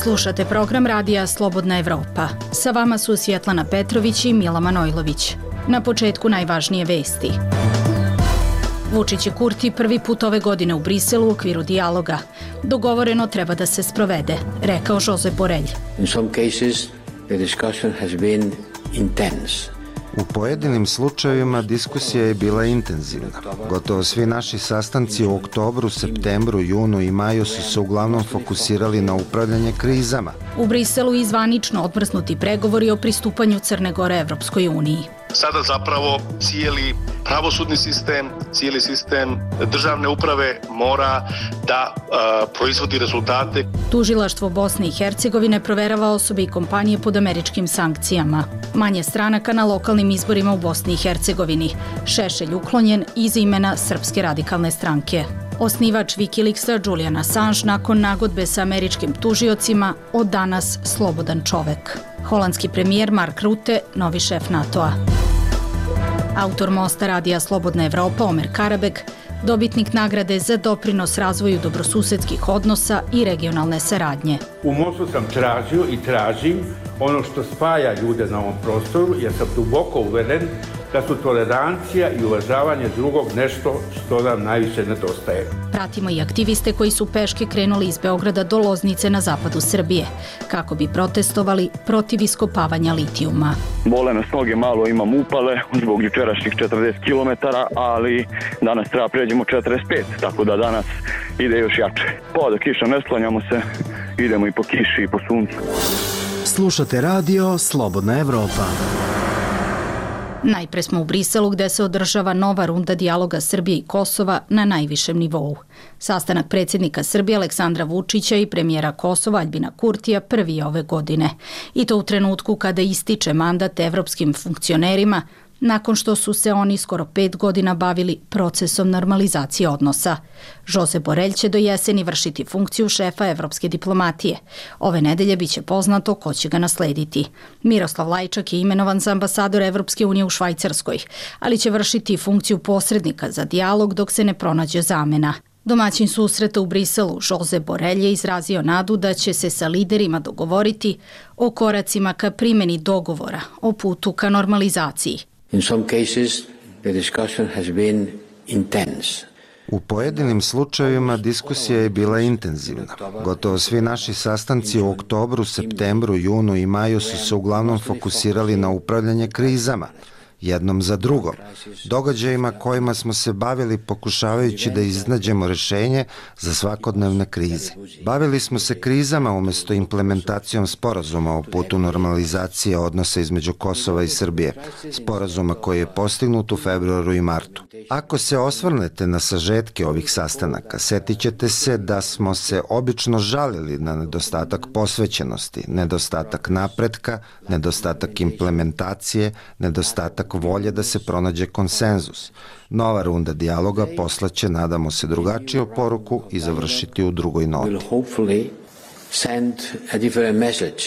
Slušate program radija Slobodna Evropa. Sa vama su Svjetlana Petrović i Mila Manojlović. Na početku najvažnije vesti. Vučić i Kurti prvi put ove godine u Briselu u okviru dijaloga. Dogovoreno treba da se sprovede, rekao Josep Borrell. In some cases, the discussion has been intense. U pojedinim slučajevima diskusija je bila intenzivna. Gotovo svi naši sastanci u oktobru, septembru, junu i maju su se uglavnom fokusirali na upravljanje krizama. U Briselu i zvanično odmrznuti pregovori o pristupanju Crne Gore Evropskoj uniji. Sada zapravo cijeli pravosudni sistem, cijeli sistem državne uprave mora da proizvodi rezultate. Tužilaštvo Bosne i Hercegovine proverava osobe i kompanije pod američkim sankcijama. Manje stranaka na lokalnim izborima u Bosni i Hercegovini. Šešelj uklonjen iz imena Srpske radikalne stranke. Osnivač Wikileaksa Julian Assange nakon nagodbe sa američkim tužiocima od danas slobodan čovek. Holandski premijer Mark Rutte, novi šef NATO-a. Autor mosta radija Slobodna Evropa Omer Karabek, dobitnik nagrade za doprinos razvoju dobrosusedskih odnosa i regionalne saradnje. U mostu sam tražio i tražim ono što spaja ljude na ovom prostoru, jer sam duboko uveren da su tolerancija i uvažavanje drugog nešto što nam najviše nedostaje. Pratimo i aktiviste koji su peške krenuli iz Beograda do Loznice na zapadu Srbije, kako bi protestovali protiv iskopavanja litijuma. Bole nas noge, malo imam upale zbog jučerašnjih 40 km, ali danas treba pređemo 45, tako da danas ide još jače. Pa da kiša ne sklanjamo se, idemo i po kiši i po suncu. Slušate radio Slobodna Evropa. Najpre smo u Briselu gde se održava nova runda dijaloga Srbije i Kosova na najvišem nivou. Sastanak predsjednika Srbije Aleksandra Vučića i premijera Kosova Aljbina Kurtija prvi je ove godine. I to u trenutku kada ističe mandat evropskim funkcionerima, nakon što su se oni skoro 5 godina bavili procesom normalizacije odnosa. Josep Borrell će do jeseni vršiti funkciju šefa evropske diplomatije. Ove nedelje biće poznato ko će ga naslediti. Miroslav Lajčak je imenovan za ambasador Evropske unije u Švajcarskoj, ali će vršiti funkciju posrednika za dijalog dok se ne pronađe zamena. Domaćin susreta u Briselu, Josep Borrell je izrazio nadu da će se sa liderima dogovoriti o koracima ka primjeni dogovora o putu ka normalizaciji. In some cases, the discussion has been intense. U pojedinim slučajevima diskusija je bila intenzivna. Gotovo svi naši sastanci u oktobru, septembru, junu i maju su se uglavnom fokusirali na upravljanje krizama, jednom za drugom, događajima kojima smo se bavili pokušavajući da iznađemo rešenje za svakodnevne krize. Bavili smo se krizama umjesto implementacijom sporazuma o putu normalizacije odnosa između Kosova i Srbije, sporazuma koji je postignut u februaru i martu. Ako se osvrnete na sažetke ovih sastanaka, setit ćete se da smo se obično žalili na nedostatak posvećenosti, nedostatak napretka, nedostatak implementacije, nedostatak volje da se pronađe konsenzus. Nova runda dijaloga poslaće, nadamo se, drugačiju poruku i završiti u drugoj noti. Will hopefully send a different message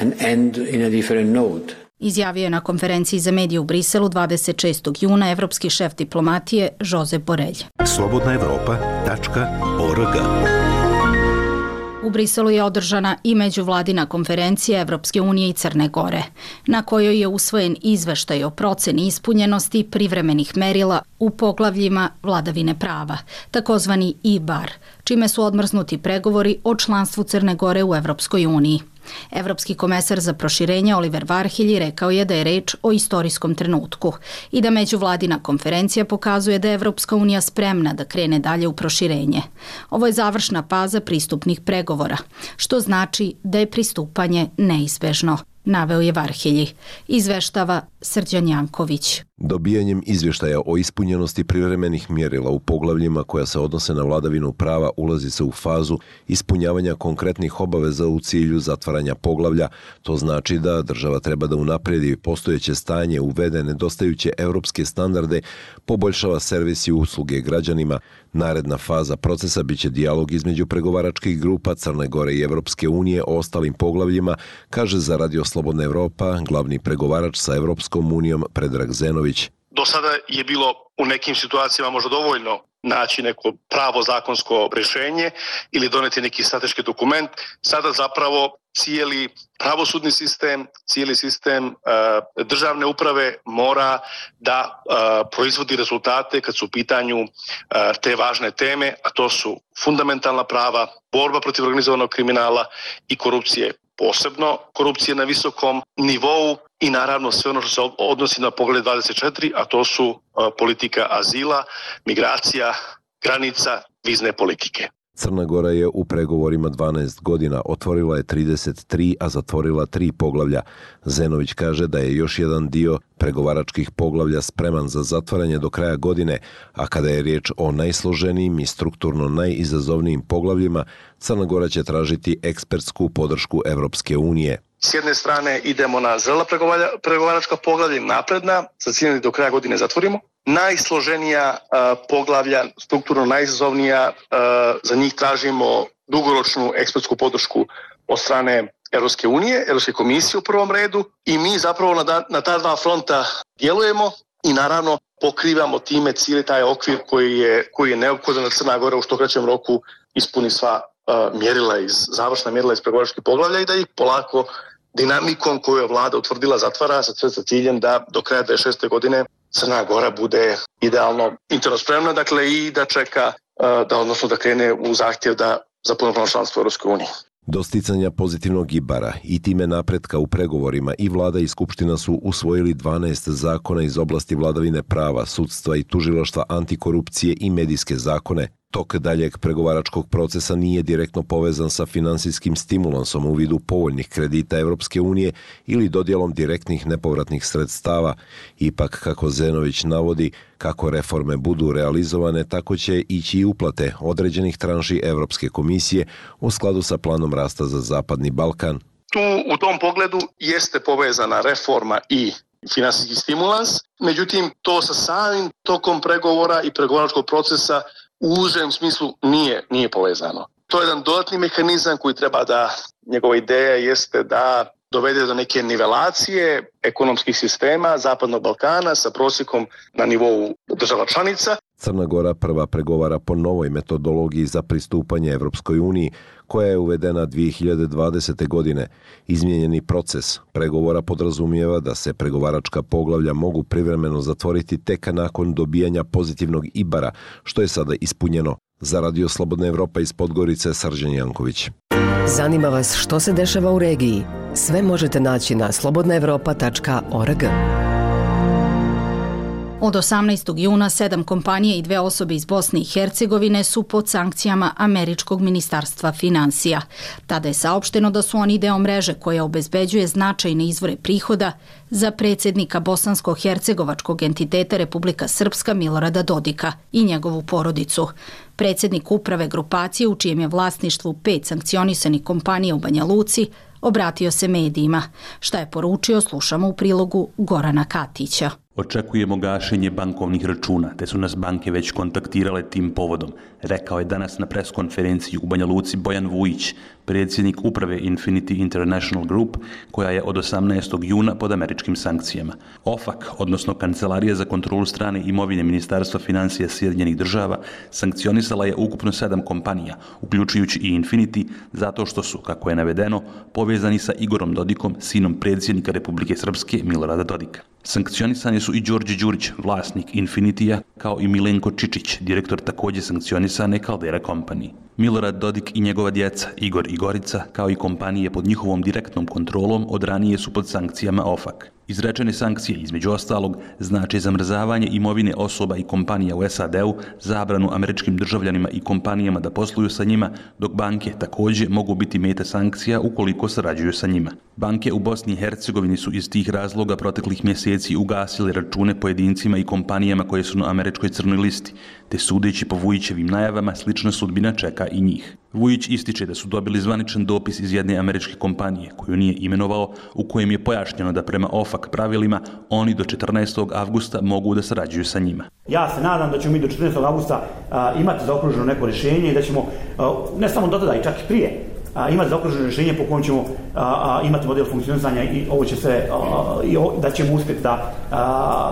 and end in a different note. Izjavio je na konferenciji za medije u Briselu 26. juna evropski šef diplomatije Josep Borrell. slobodnaevropa.org. U Briselu je održana i međuvladina konferencija Evropske unije i Crne Gore, na kojoj je usvojen izveštaj o proceni ispunjenosti privremenih merila u poglavljima vladavine prava, takozvani IBAR, čime su odmrznuti pregovori o članstvu Crne Gore u Evropskoj uniji. Evropski komesar za proširenje Oliver Varhelyi rekao je da je reč o istorijskom trenutku i da međuvladina konferencija pokazuje da je Evropska unija spremna da krene dalje u proširenje. Ovo je završna faza pristupnih pregovora, što znači da je pristupanje neizbežno, naveo je Varhelyi, izveštava Srđan Janković. Dobijanjem izvještaja o ispunjenosti privremenih mjerila u poglavljima koja se odnose na vladavinu prava ulazi se u fazu ispunjavanja konkretnih obaveza u cilju zatvaranja poglavlja. To znači da država treba da unaprijedi postojeće stanje, uvede nedostajuće europske standarde, poboljšava servis i usluge građanima. Naredna faza procesa biće dijalog između pregovaračkih grupa Crne Gore i Evropske unije o ostalim poglavljima, kaže za Radio Slobodna Evropa glavni pregovarač sa Evropskom unijom Predrag Zenović. Do sada je bilo u nekim situacijama možda dovoljno naći neko pravo zakonsko rješenje ili doneti neki strateški dokument. Sada zapravo cijeli pravosudni sistem, cijeli sistem državne uprave mora da proizvodi rezultate kad su u pitanju te važne teme, a to su fundamentalna prava, borba protiv organizovanog kriminala i korupcije. Posebno korupcije na visokom nivou i naravno sve ono što se odnosi na Poglavlje 24, a to su politika azila, migracija, granica, vizne politike. Crna Gora je u pregovorima 12 godina, otvorila je 33, a zatvorila 3 poglavlja. Zenović kaže da je još jedan dio pregovaračkih poglavlja spreman za zatvaranje do kraja godine, a kada je riječ o najsloženijim i strukturno najizazovnijim poglavljima, Crna Gora će tražiti ekspertsku podršku Evropske unije. S jedne strane idemo na zrela pregovaračka poglavlja, napredna, sa ciljem do kraja godine zatvorimo. Najsloženija poglavlja, strukturno najizazovnija, za njih tražimo dugoročnu ekspertsku podršku od strane Europske unije, Europske komisije u prvom redu i mi zapravo na ta dva fronta djelujemo i naravno pokrivamo time cijeli taj okvir koji je neophodan da Crna Gora u što kraćem roku ispuni sva završna mjerila iz pregovaračkih poglavlja i da ih polako dinamikom koju je vlada utvrdila zatvara sa ciljem da do kraja 2026. godine Crna Gora bude idealno interno spremna, dakle i da čeka, da krene u zahtjev za punopravno članstvo u Europskoj uniji. Do sticanja pozitivnog ibara i time napretka u pregovorima i vlada i skupština su usvojili 12 zakona iz oblasti vladavine prava, sudstva i tužilaštva, antikorupcije i medijske zakone. Tok daljeg pregovaračkog procesa nije direktno povezan sa finansijskim stimulansom u vidu povoljnih kredita Evropske unije ili dodjelom direktnih nepovratnih sredstava. Ipak, kako Zenović navodi, kako reforme budu realizovane, tako će ići i uplate određenih tranši Evropske komisije u skladu sa planom rasta za Zapadni Balkan. Tu u tom pogledu jeste povezana reforma i finansijski stimulans, međutim to sa samim tokom pregovora i pregovaračkog procesa u užem smislu nije povezano. To je jedan dodatni mehanizam koji treba njegova ideja jeste da dovede do neke nivelacije ekonomskih sistema Zapadnog Balkana sa prosjekom na nivou država članica. Crna Gora prva pregovara po novoj metodologiji za pristupanje Evropskoj uniji, koja je uvedena 2020. godine. Izmijenjeni proces pregovora podrazumijeva da se pregovaračka poglavlja mogu privremeno zatvoriti tek nakon dobijanja pozitivnog ibara, što je sada ispunjeno. Za Radio Slobodna Evropa iz Podgorice, Srđan Janković. Zanima vas što se dešava u regiji? Sve možete naći na slobodnaevropa.org. Od 18. juna 7 kompanije i 2 osobe iz Bosne i Hercegovine su pod sankcijama Američkog ministarstva finansija. Tada je saopšteno da su oni deo mreže koja obezbeđuje značajne izvore prihoda za predsjednika bosansko-hercegovačkog entiteta Republika Srpska Milorada Dodika i njegovu porodicu. Predsjednik uprave grupacije, u čijem je vlasništvu 5 sankcionisanih kompanija u Banja Luci, obratio se medijima. Šta je poručio, slušamo u prilogu Gorana Katića. Očekujemo gašenje bankovnih računa, te su nas banke već kontaktirale tim povodom, rekao je danas na preskonferenciji u Banja Luci Bojan Vujić, predsjednik uprave Infinity International Group, koja je od 18. juna pod američkim sankcijama. OFAC, odnosno Kancelarija za kontrolu strane imovine Ministarstva financija Sjedinjenih država, sankcionisala je ukupno 7 kompanija, uključujući i Infinity, zato što su, kako je navedeno, povezani sa Igorom Dodikom, sinom predsjednika Republike Srpske Milorada Dodika. Sankcionisani su i Đorđe Đurić, vlasnik Infinitija, kao i Milenko Čičić, direktor također sankcionisane Caldera Company. Milorad Dodik i njegova djeca, Igor i Gorica, kao i kompanije pod njihovom direktnom kontrolom, od ranije su pod sankcijama OFAC. Izrečene sankcije, između ostalog, znači zamrzavanje imovine osoba i kompanija u SAD-u, zabranu američkim državljanima i kompanijama da posluju sa njima, dok banke također mogu biti meta sankcija ukoliko sarađuju sa njima. Banke u Bosni i Hercegovini su iz tih razloga proteklih mjeseci ugasili račune pojedincima i kompanijama koje su na američkoj crnoj listi, te sudeći po Vujićevim najavama slična sudbina čeka i njih. Vujić ističe da su dobili zvaničan dopis iz jedne američke kompanije, koju nije imenovao, u kojem je pojašnjeno da prema OFAC pravilima oni do 14. avgusta mogu da sarađuju sa njima. Ja se nadam da ćemo mi do 14. avgusta imati zaokruženo neko rješenje i da ćemo, ne samo do tada i čak i prije, imati zaokruženo rješenje po kojem ćemo imati model funkcionisanja i ovo će se, da ćemo uspjeti da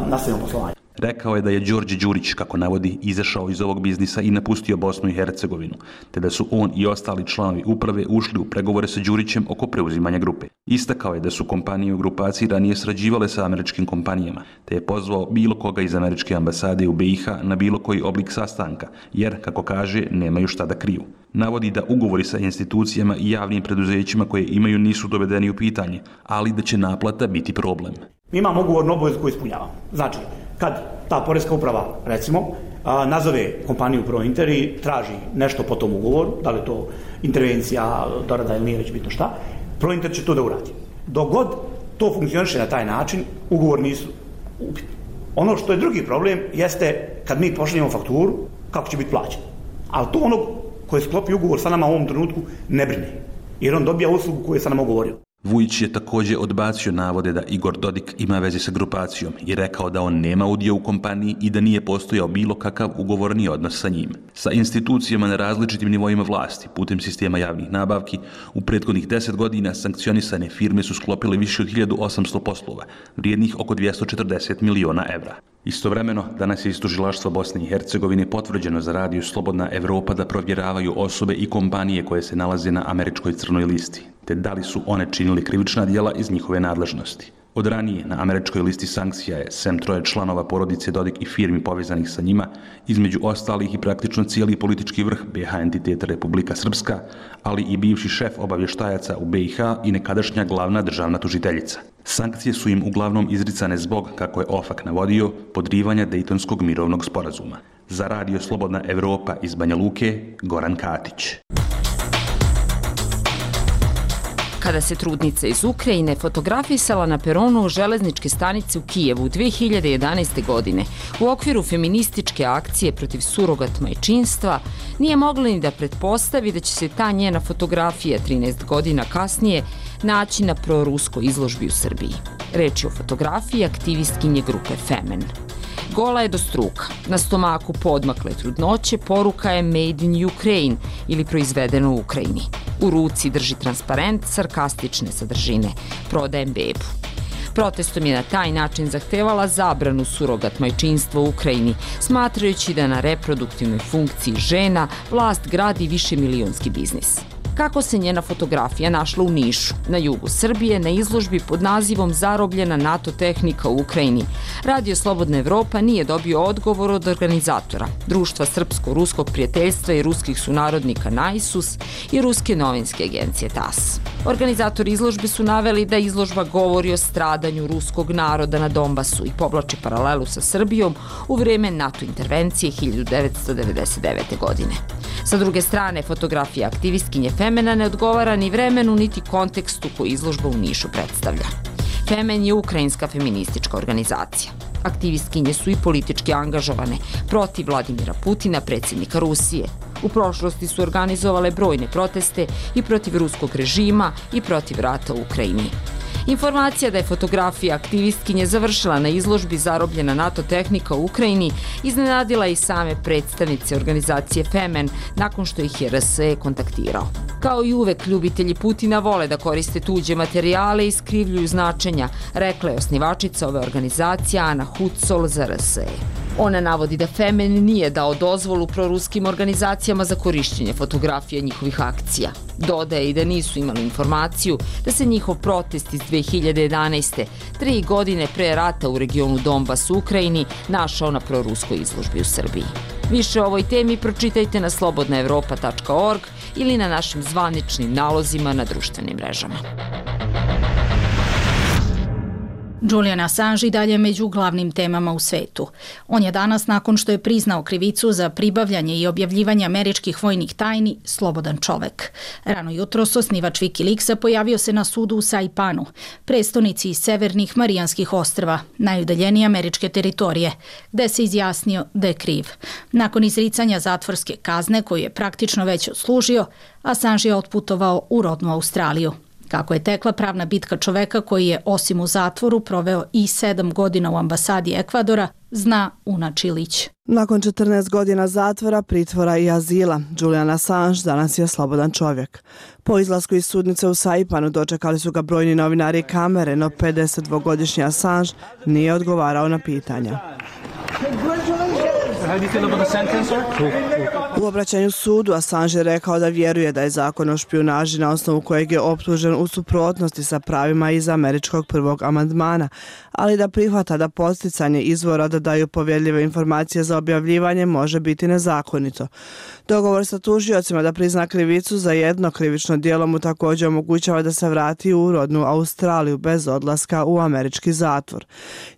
nastavimo poslovanje. Rekao je da je Đorđe Đurić, kako navodi, izašao iz ovog biznisa i napustio Bosnu i Hercegovinu, te da su on i ostali članovi uprave ušli u pregovore sa Đurićem oko preuzimanja grupe. Istakao je da su kompanije u grupaciji ranije sarađivale sa američkim kompanijama, te je pozvao bilo koga iz američke ambasade u BiH na bilo koji oblik sastanka, jer, kako kaže, nemaju šta da kriju. Navodi da ugovori sa institucijama i javnim preduzećima koje imaju nisu dovedeni u pitanje, ali da će naplata biti problem. Mi imamo ugovornu obavezu koju ispunjavamo. Znači, kad ta poreska uprava, recimo, nazove kompaniju ProInter i traži nešto po tom ugovoru, da li je to intervencija, dorada ili nije već bitno šta, ProInter će to da uradi. Dok god to funkcioniše na taj način, ugovor nisu upitni. Ono što je drugi problem jeste kad mi pošaljemo fakturu, kako će biti plaćen. Ali to onog koji sklopi ugovor sa nama u ovom trenutku ne brine, jer on dobija uslugu koju je sa nama ugovorio. Vujić je također odbacio navode da Igor Dodik ima veze sa grupacijom i rekao da on nema udio u kompaniji i da nije postojao bilo kakav ugovorni odnos sa njim. Sa institucijama na različitim nivoima vlasti, putem sistema javnih nabavki, u prethodnih 10 godina sankcionisane firme su sklopile više od 1800 poslova, vrijednih oko 240 miliona evra. Istovremeno, danas je iz tužilaštva Bosne i Hercegovine potvrđeno za Radio Slobodna Evropa da provjeravaju osobe i kompanije koje se nalaze na američkoj crnoj listi, te da li su one činili krivična djela iz njihove nadležnosti. Od ranije na američkoj listi sankcija je, sem 3 članova porodice Dodik i firmi povezanih sa njima, između ostalih i praktično cijeli politički vrh BiH entiteta Republika Srpska, ali i bivši šef obavještajaca u BiH i nekadašnja glavna državna tužiteljica. Sankcije su im uglavnom izricane zbog, kako je OFAK navodio, podrivanja Dejtonskog mirovnog sporazuma. Za Radio Slobodna Evropa iz Banja Luke, Goran Katić. Kada se trudnica iz Ukrajine fotografisala na peronu železničke stanice u Kijevu 2011. godine u okviru feminističke akcije protiv surogat majčinstva, nije mogla ni da pretpostavi da će se ta njena fotografija 13 godina kasnije naći na proruskoj izložbi u Srbiji. Reč je o fotografiji aktivistkinje grupe Femen. Gola je do struka. Na stomaku podmakle trudnoće poruka je Made in Ukraine ili proizvedeno u Ukrajini. U ruci drži transparent sarkastične sadržine. Prodajem bebu. Protestom je na taj način zahtevala zabranu surogat majčinstva u Ukrajini, smatrajući da na reproduktivnoj funkciji žena vlast gradi višemilionski biznis. Kako se njena fotografija našla u Nišu, na jugu Srbije, na izložbi pod nazivom Zarobljena NATO tehnika u Ukrajini, Radio Slobodna Evropa nije dobio odgovor od organizatora, Društva srpsko-ruskog prijateljstva i ruskih sunarodnika NAISUS i ruske novinske agencije TASS. Organizatori izložbe su naveli da izložba govori o stradanju ruskog naroda na Donbasu i povlači paralelu sa Srbijom u vreme NATO intervencije 1999. godine. Sa druge strane, fotografija aktivistkinje Femena ne odgovara ni vremenu niti kontekstu koji izložba u Nišu predstavlja. Femen je ukrajinska feministička organizacija. Aktivistkinje su i politički angažovane protiv Vladimira Putina, predsjednika Rusije. U prošlosti su organizovale brojne proteste i protiv ruskog režima i protiv rata u Ukrajini. Informacija da je fotografija aktivistkinje završila na izložbi Zarobljena NATO tehnika u Ukrajini iznenadila i same predstavnice organizacije Femen nakon što ih je RSE kontaktirao. Kao i uvek, ljubitelji Putina vole da koriste tuđe materijale i skrivljuju značenja, rekla je osnivačica ove organizacije Ana Hucol za RSE. Ona navodi da Femen nije dao dozvolu proruskim organizacijama za korišćenje fotografija njihovih akcija. Dodaje i da nisu imali informaciju da se njihov protest iz 2011. 3 godine pre rata u regionu Donbas u Ukrajini našao na proruskoj izložbi u Srbiji. Više o ovoj temi pročitajte na slobodnaevropa.org ili na našim zvaničnim nalozima na društvenim mrežama. Julian Assange i dalje među glavnim temama u svetu. On je danas, nakon što je priznao krivicu za pribavljanje i objavljivanje američkih vojnih tajni, slobodan čovek. Rano jutros osnivač Wikileaksa pojavio se na sudu u Saipanu, prestonici severnih Marijanskih ostrva, najudaljenije američke teritorije, gde se izjasnio da je kriv. Nakon izricanja zatvorske kazne, koju je praktično već odslužio, Assange je otputovao u rodnu Australiju. Kako je tekla pravna bitka čoveka koji je, osim u zatvoru, proveo i 7 godina u ambasadi Ekvadora, zna Una Čilić. Nakon 14 godina zatvora, pritvora i azila, Julian Assange danas je slobodan čovjek. Po izlasku iz sudnice u Saipanu dočekali su ga brojni novinari i kamere, no 52-godišnji Assange nije odgovarao na pitanja. U obraćanju sudu Assange je rekao da vjeruje da je zakon o špijunaži na osnovu kojeg je optužen u suprotnosti sa pravima iz američkog prvog amandmana, ali da prihvata da podsticanje izvora da daju povjerljive informacije za objavljivanje može biti nezakonito. Dogovor sa tužiocima da prizna krivicu za jedno krivično djelo mu također omogućava da se vrati u rodnu Australiju bez odlaska u američki zatvor.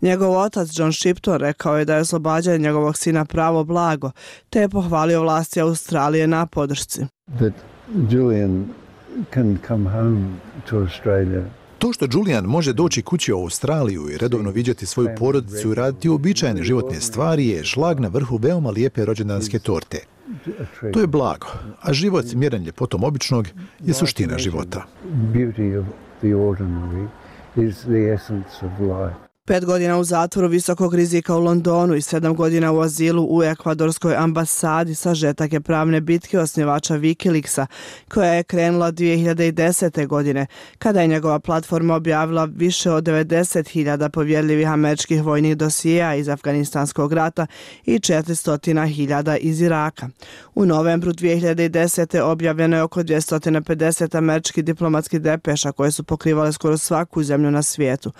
Njegov otac John Shipton rekao je da je oslobađanje njegovog sina pravo blago, te je pohvalio vlasti Australije na podršci. To što Julian može doći kući u Australiju i redovno viđati svoju porodicu i raditi uobičajene životne stvari je šlag na vrhu veoma lijepe rođendanske torte. To je blago, a život mjeren ljepotom običnog je suština života. 5 godina u zatvoru visokog rizika u Londonu i 7 godina u azilu u ekvadorskoj ambasadi sažetak je pravne bitke osnivača Wikileaksa, koja je krenula 2010. godine, kada je njegova platforma objavila više od 90.000 povjerljivih američkih vojnih dosijeja iz Afganistanskog rata i 400.000 iz Iraka. U novembru 2010. objavljeno je oko 250 američkih diplomatskih depeša koje su pokrivale skoro svaku zemlju na svijetu.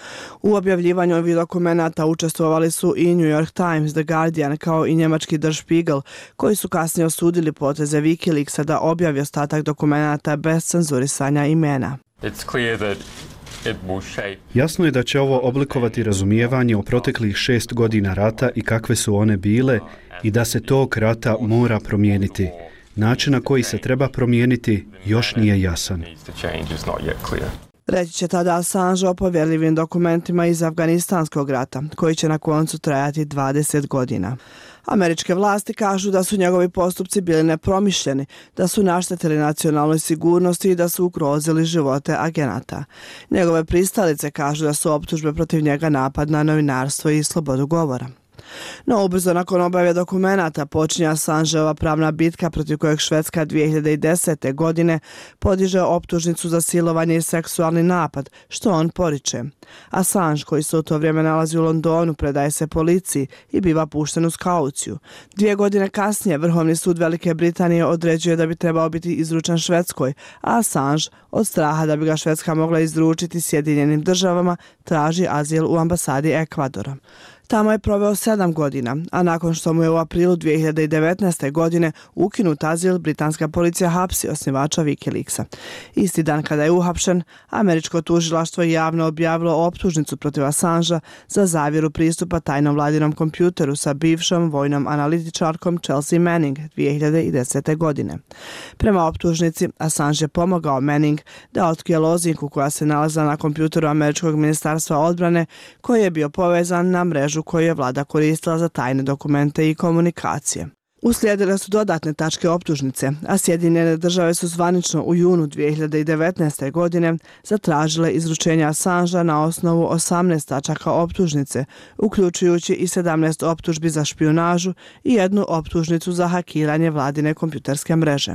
U objavljivanju ovih dokumenata učestvovali su i New York Times, The Guardian kao i njemački Der Spiegel, koji su kasnije osudili poteze Wikileaksa da objavi ostatak dokumenata bez cenzurisanja imena. Jasno je da će ovo oblikovati razumijevanje o proteklih 6 godina rata i kakve su one bile i da se tog rata mora promijeniti. Način na koji se treba promijeniti još nije jasan. Reći će tada Assange o povjerljivim dokumentima iz Afganistanskog rata, koji će na koncu trajati 20 godina. Američke vlasti kažu da su njegovi postupci bili nepromišljeni, da su naštetili nacionalnoj sigurnosti i da su ugrozili živote agenata. Njegove pristalice kažu da su optužbe protiv njega napad na novinarstvo i slobodu govora. No ubrzo nakon objave dokumenata počinje Assangeova pravna bitka protiv kojeg Švedska 2010. godine podiže optužnicu za silovanje i seksualni napad, što on poriče. Assange, koji se u to vrijeme nalazi u Londonu, predaje se policiji i biva pušten uz kauciju. 2 godine kasnije Vrhovni sud Velike Britanije određuje da bi trebao biti izručen Švedskoj, a Assange, od straha da bi ga Švedska mogla izručiti Sjedinjenim državama, traži azil u ambasadi Ekvadora. Tamo je proveo 7 godina, a nakon što mu je u aprilu 2019. godine ukinut azil, britanska policija hapsi osnivača Wikileaksa. Isti dan kada je uhapšen, američko tužilaštvo je javno objavilo optužnicu protiv Assangea za zavjeru pristupa tajnom vladinom kompjuteru sa bivšom vojnom analitičarkom Chelsea Manning 2010. godine. Prema optužnici, Assange je pomogao Manning da otkrije lozinku koja se nalazila na kompjuteru američkog ministarstva odbrane, koji je bio povezan na mrežu koju je vlada koristila za tajne dokumente i komunikacije. Uslijedile su dodatne tačke optužnice, a Sjedinjene države su zvanično u junu 2019. godine zatražile izručenje Assangea na osnovu 18 tačaka optužnice, uključujući i 17 optužbi za špijunažu i 1 optužnicu za hakiranje vladine kompjuterske mreže.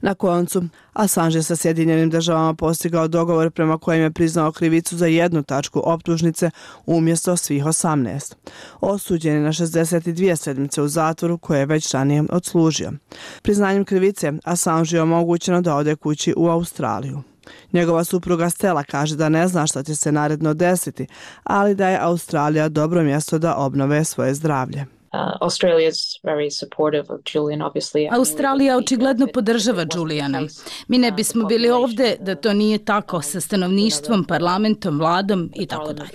Na koncu, Assange sa Sjedinjenim državama postigao dogovor prema kojem je priznao krivicu za 1 tačku optužnice umjesto svih 18. Osuđen je na 62 sedmice u zatvoru koje je već ranije odslužio. Priznanjem krivice, Assange je omogućeno da ode kući u Australiju. Njegova supruga Stella kaže da ne zna šta će se naredno desiti, ali da je Australija dobro mjesto da obnove svoje zdravlje. Australija očigledno podržava Juliana. Mi ne bismo bili ovdje da to nije tako sa stanovništvom, parlamentom, vladom i tako dalje.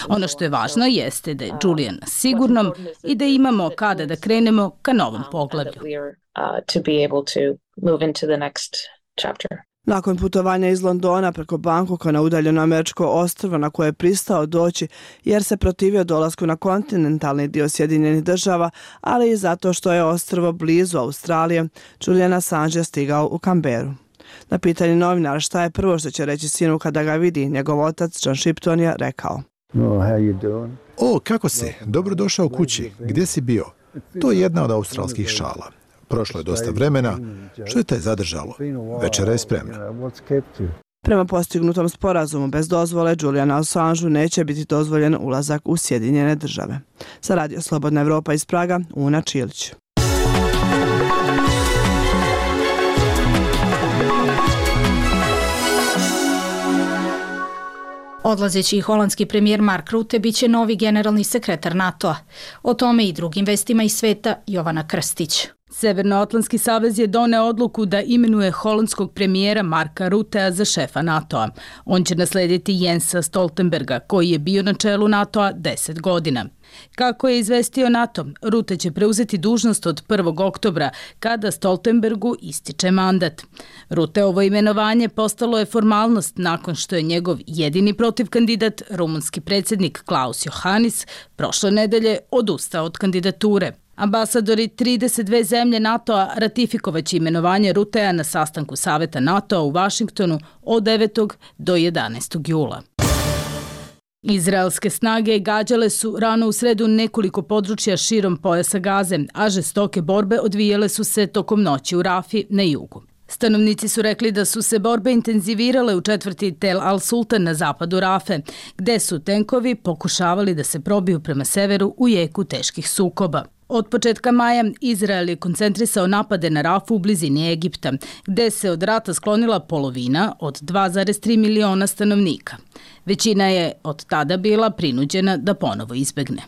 Ono što je važno jeste da je Julian sigurnom i da imamo kada da krenemo ka novom poglavlju. Nakon putovanja iz Londona preko Bangkoka na udaljeno američko ostrvo na koje je pristao doći jer se protivio dolasku na kontinentalni dio Sjedinjenih država, ali i zato što je ostrvo blizu Australije, Julian Assange je stigao u Canberru. Na pitanje novinara šta je prvo što će reći sinu kada ga vidi, njegov otac John Shipton je rekao: kako si? Dobro došao kući. Gdje si bio? To je jedna od australskih šala. Prošlo je dosta vremena. Što je te zadržalo? Večera je spremna. Prema postignutom sporazumu bez dozvole Julianu Assangeu neće biti dozvoljen ulazak u Sjedinjene države. Za Radio Slobodna Evropa iz Praga, Una Čilić. Odlazeći holandski premijer Mark Rutte biće novi generalni sekretar NATO-a. O tome i drugim vestima iz sveta Jovana Krstić. Severnoatlantski savez je doneo odluku da imenuje holandskog premijera Marka Ruttea za šefa NATO-a. On će naslediti Jensa Stoltenberga, koji je bio na čelu NATO-a 10 godina. Kako je izvestio NATO, Rutte će preuzeti dužnost od 1. oktobra, kada Stoltenbergu ističe mandat. Rutteovo imenovanje postalo je formalnost nakon što je njegov jedini protivkandidat, rumunski predsjednik Klaus Johannis, prošle nedelje odustao od kandidature. Ambasadori 32 zemlje NATO-a ratifikovaće imenovanje Ruttea na sastanku Saveta NATO-a u Vašingtonu od 9. do 11. jula. Izraelske snage gađale su rano u sredu nekoliko područja širom pojasa Gaze, a žestoke borbe odvijale su se tokom noći u Rafi na jugu. Stanovnici su rekli da su se borbe intenzivirale u četvrti Tel al-Sultan na zapadu Rafe, gde su tenkovi pokušavali da se probiju prema severu u jeku teških sukoba. Od početka maja Izrael je koncentrisao napade na Rafu u blizini Egipta, gde se od rata sklonila polovina od 2,3 miliona stanovnika. Većina je od tada bila prinuđena da ponovo izbegne.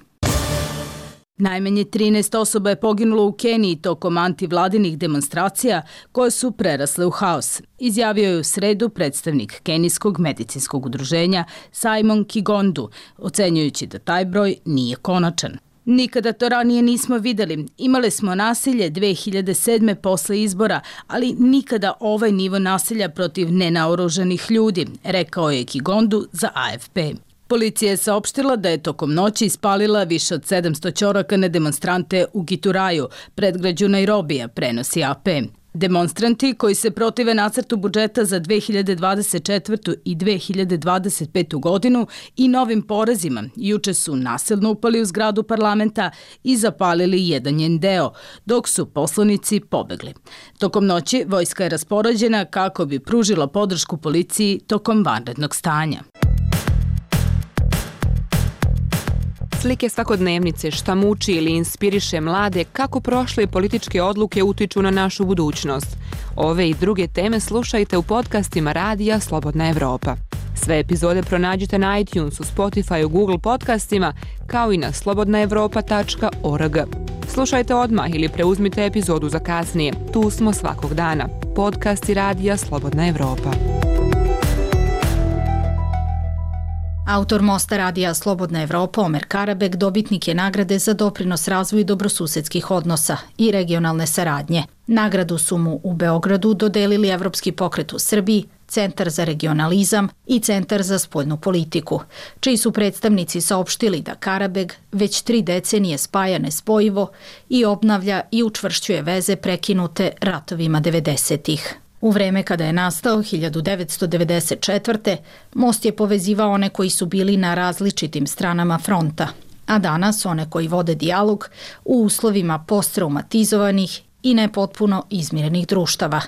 Najmanje 13 osoba je poginulo u Keniji tokom antivladinih demonstracija koje su prerasle u haos, izjavio je u sredu predstavnik kenijskog medicinskog udruženja Simon Kigondu, ocenjujući da taj broj nije konačan. Nikada to ranije nismo videli. Imali smo nasilje 2007. posle izbora, ali nikada ovaj nivo nasilja protiv nenaoružanih ljudi, rekao je Kigondu za AFP. Policija je saopštila da je tokom noći ispalila više od 700 ćoraka na demonstrante u Gituraju, predgrađu Nairobija, prenosi AP. Demonstranti koji se protive nacrtu budžeta za 2024. i 2025. godinu i novim porezima juče su nasilno upali u zgradu parlamenta i zapalili jedan njen deo, dok su poslanici pobegli. Tokom noći vojska je raspoređena kako bi pružila podršku policiji tokom vanrednog stanja. Slike svakodnevnice, šta muči ili inspiriše mlade, kako prošle političke odluke utiču na našu budućnost. Ove i druge teme slušajte u podcastima Radija Slobodna Evropa. Sve epizode pronađite na iTunesu, Spotify, Google podcastima, kao i na slobodnaevropa.org. Slušajte odmah ili preuzmite epizodu za kasnije. Tu smo svakog dana. Podcasti Radija Slobodna Evropa. Autor mosta Radija Slobodna Evropa Omer Karabek dobitnik je nagrade za doprinos razvoju dobrosusedskih odnosa i regionalne saradnje. Nagradu su mu u Beogradu dodelili Evropski pokret u Srbiji, Centar za regionalizam i Centar za spoljnu politiku, čiji su predstavnici saopštili da Karabek već 3 decenije spaja nespojivo i obnavlja i učvršćuje veze prekinute ratovima 90-ih. U vreme kada je nastao 1994. most je povezivao one koji su bili na različitim stranama fronta, a danas one koji vode dijalog u uslovima posttraumatizovanih i nepotpuno izmirenih društava.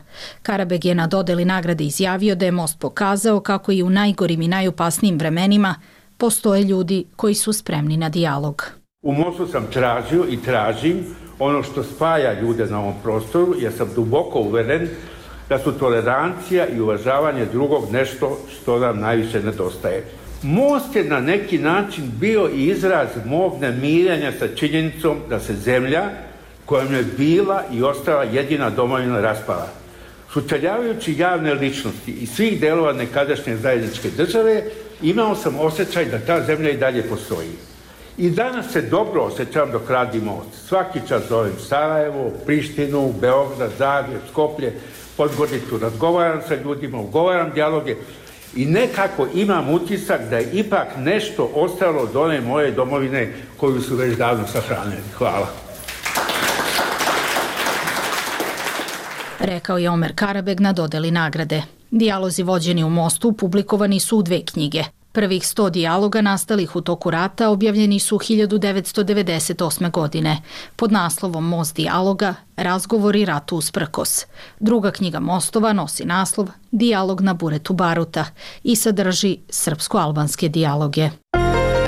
Karabek je na dodeli nagrade izjavio da je most pokazao kako i u najgorim i najopasnijim vremenima postoje ljudi koji su spremni na dijalog. U mostu sam tražio i tražim ono što spaja ljude na ovom prostoru, jer sam duboko uveren da su tolerancija i uvažavanje drugog nešto što nam najviše nedostaje. Most je na neki način bio i izraz mog nemirenja sa činjenicom da se zemlja kojom je bila i ostala jedina domovina raspala. Sučeljavajući javne ličnosti i svih delova nekadašnje zajedničke države, imao sam osjećaj da ta zemlja i dalje postoji. I danas se dobro osjećam dok radim most. Svaki čas zovem Sarajevo, Prištinu, Beograd, Zagreb, Skoplje, Podgoricu, razgovaram sa ljudima, ugovaram dijaloge i nekako imam utisak da je ipak nešto ostalo od one moje domovine koju su već davno sahranili. Hvala. Rekao je Omer Karabek na dodeli nagrade. Dijalozi vođeni u mostu publikovani su u 2 knjige. Prvih 100 dijaloga nastalih u toku rata objavljeni su 1998. godine pod naslovom Most dijaloga, razgovori ratu usprkos. Druga knjiga Mostova nosi naslov Dijalog na buretu baruta i sadrži srpsko-albanske dijaloge.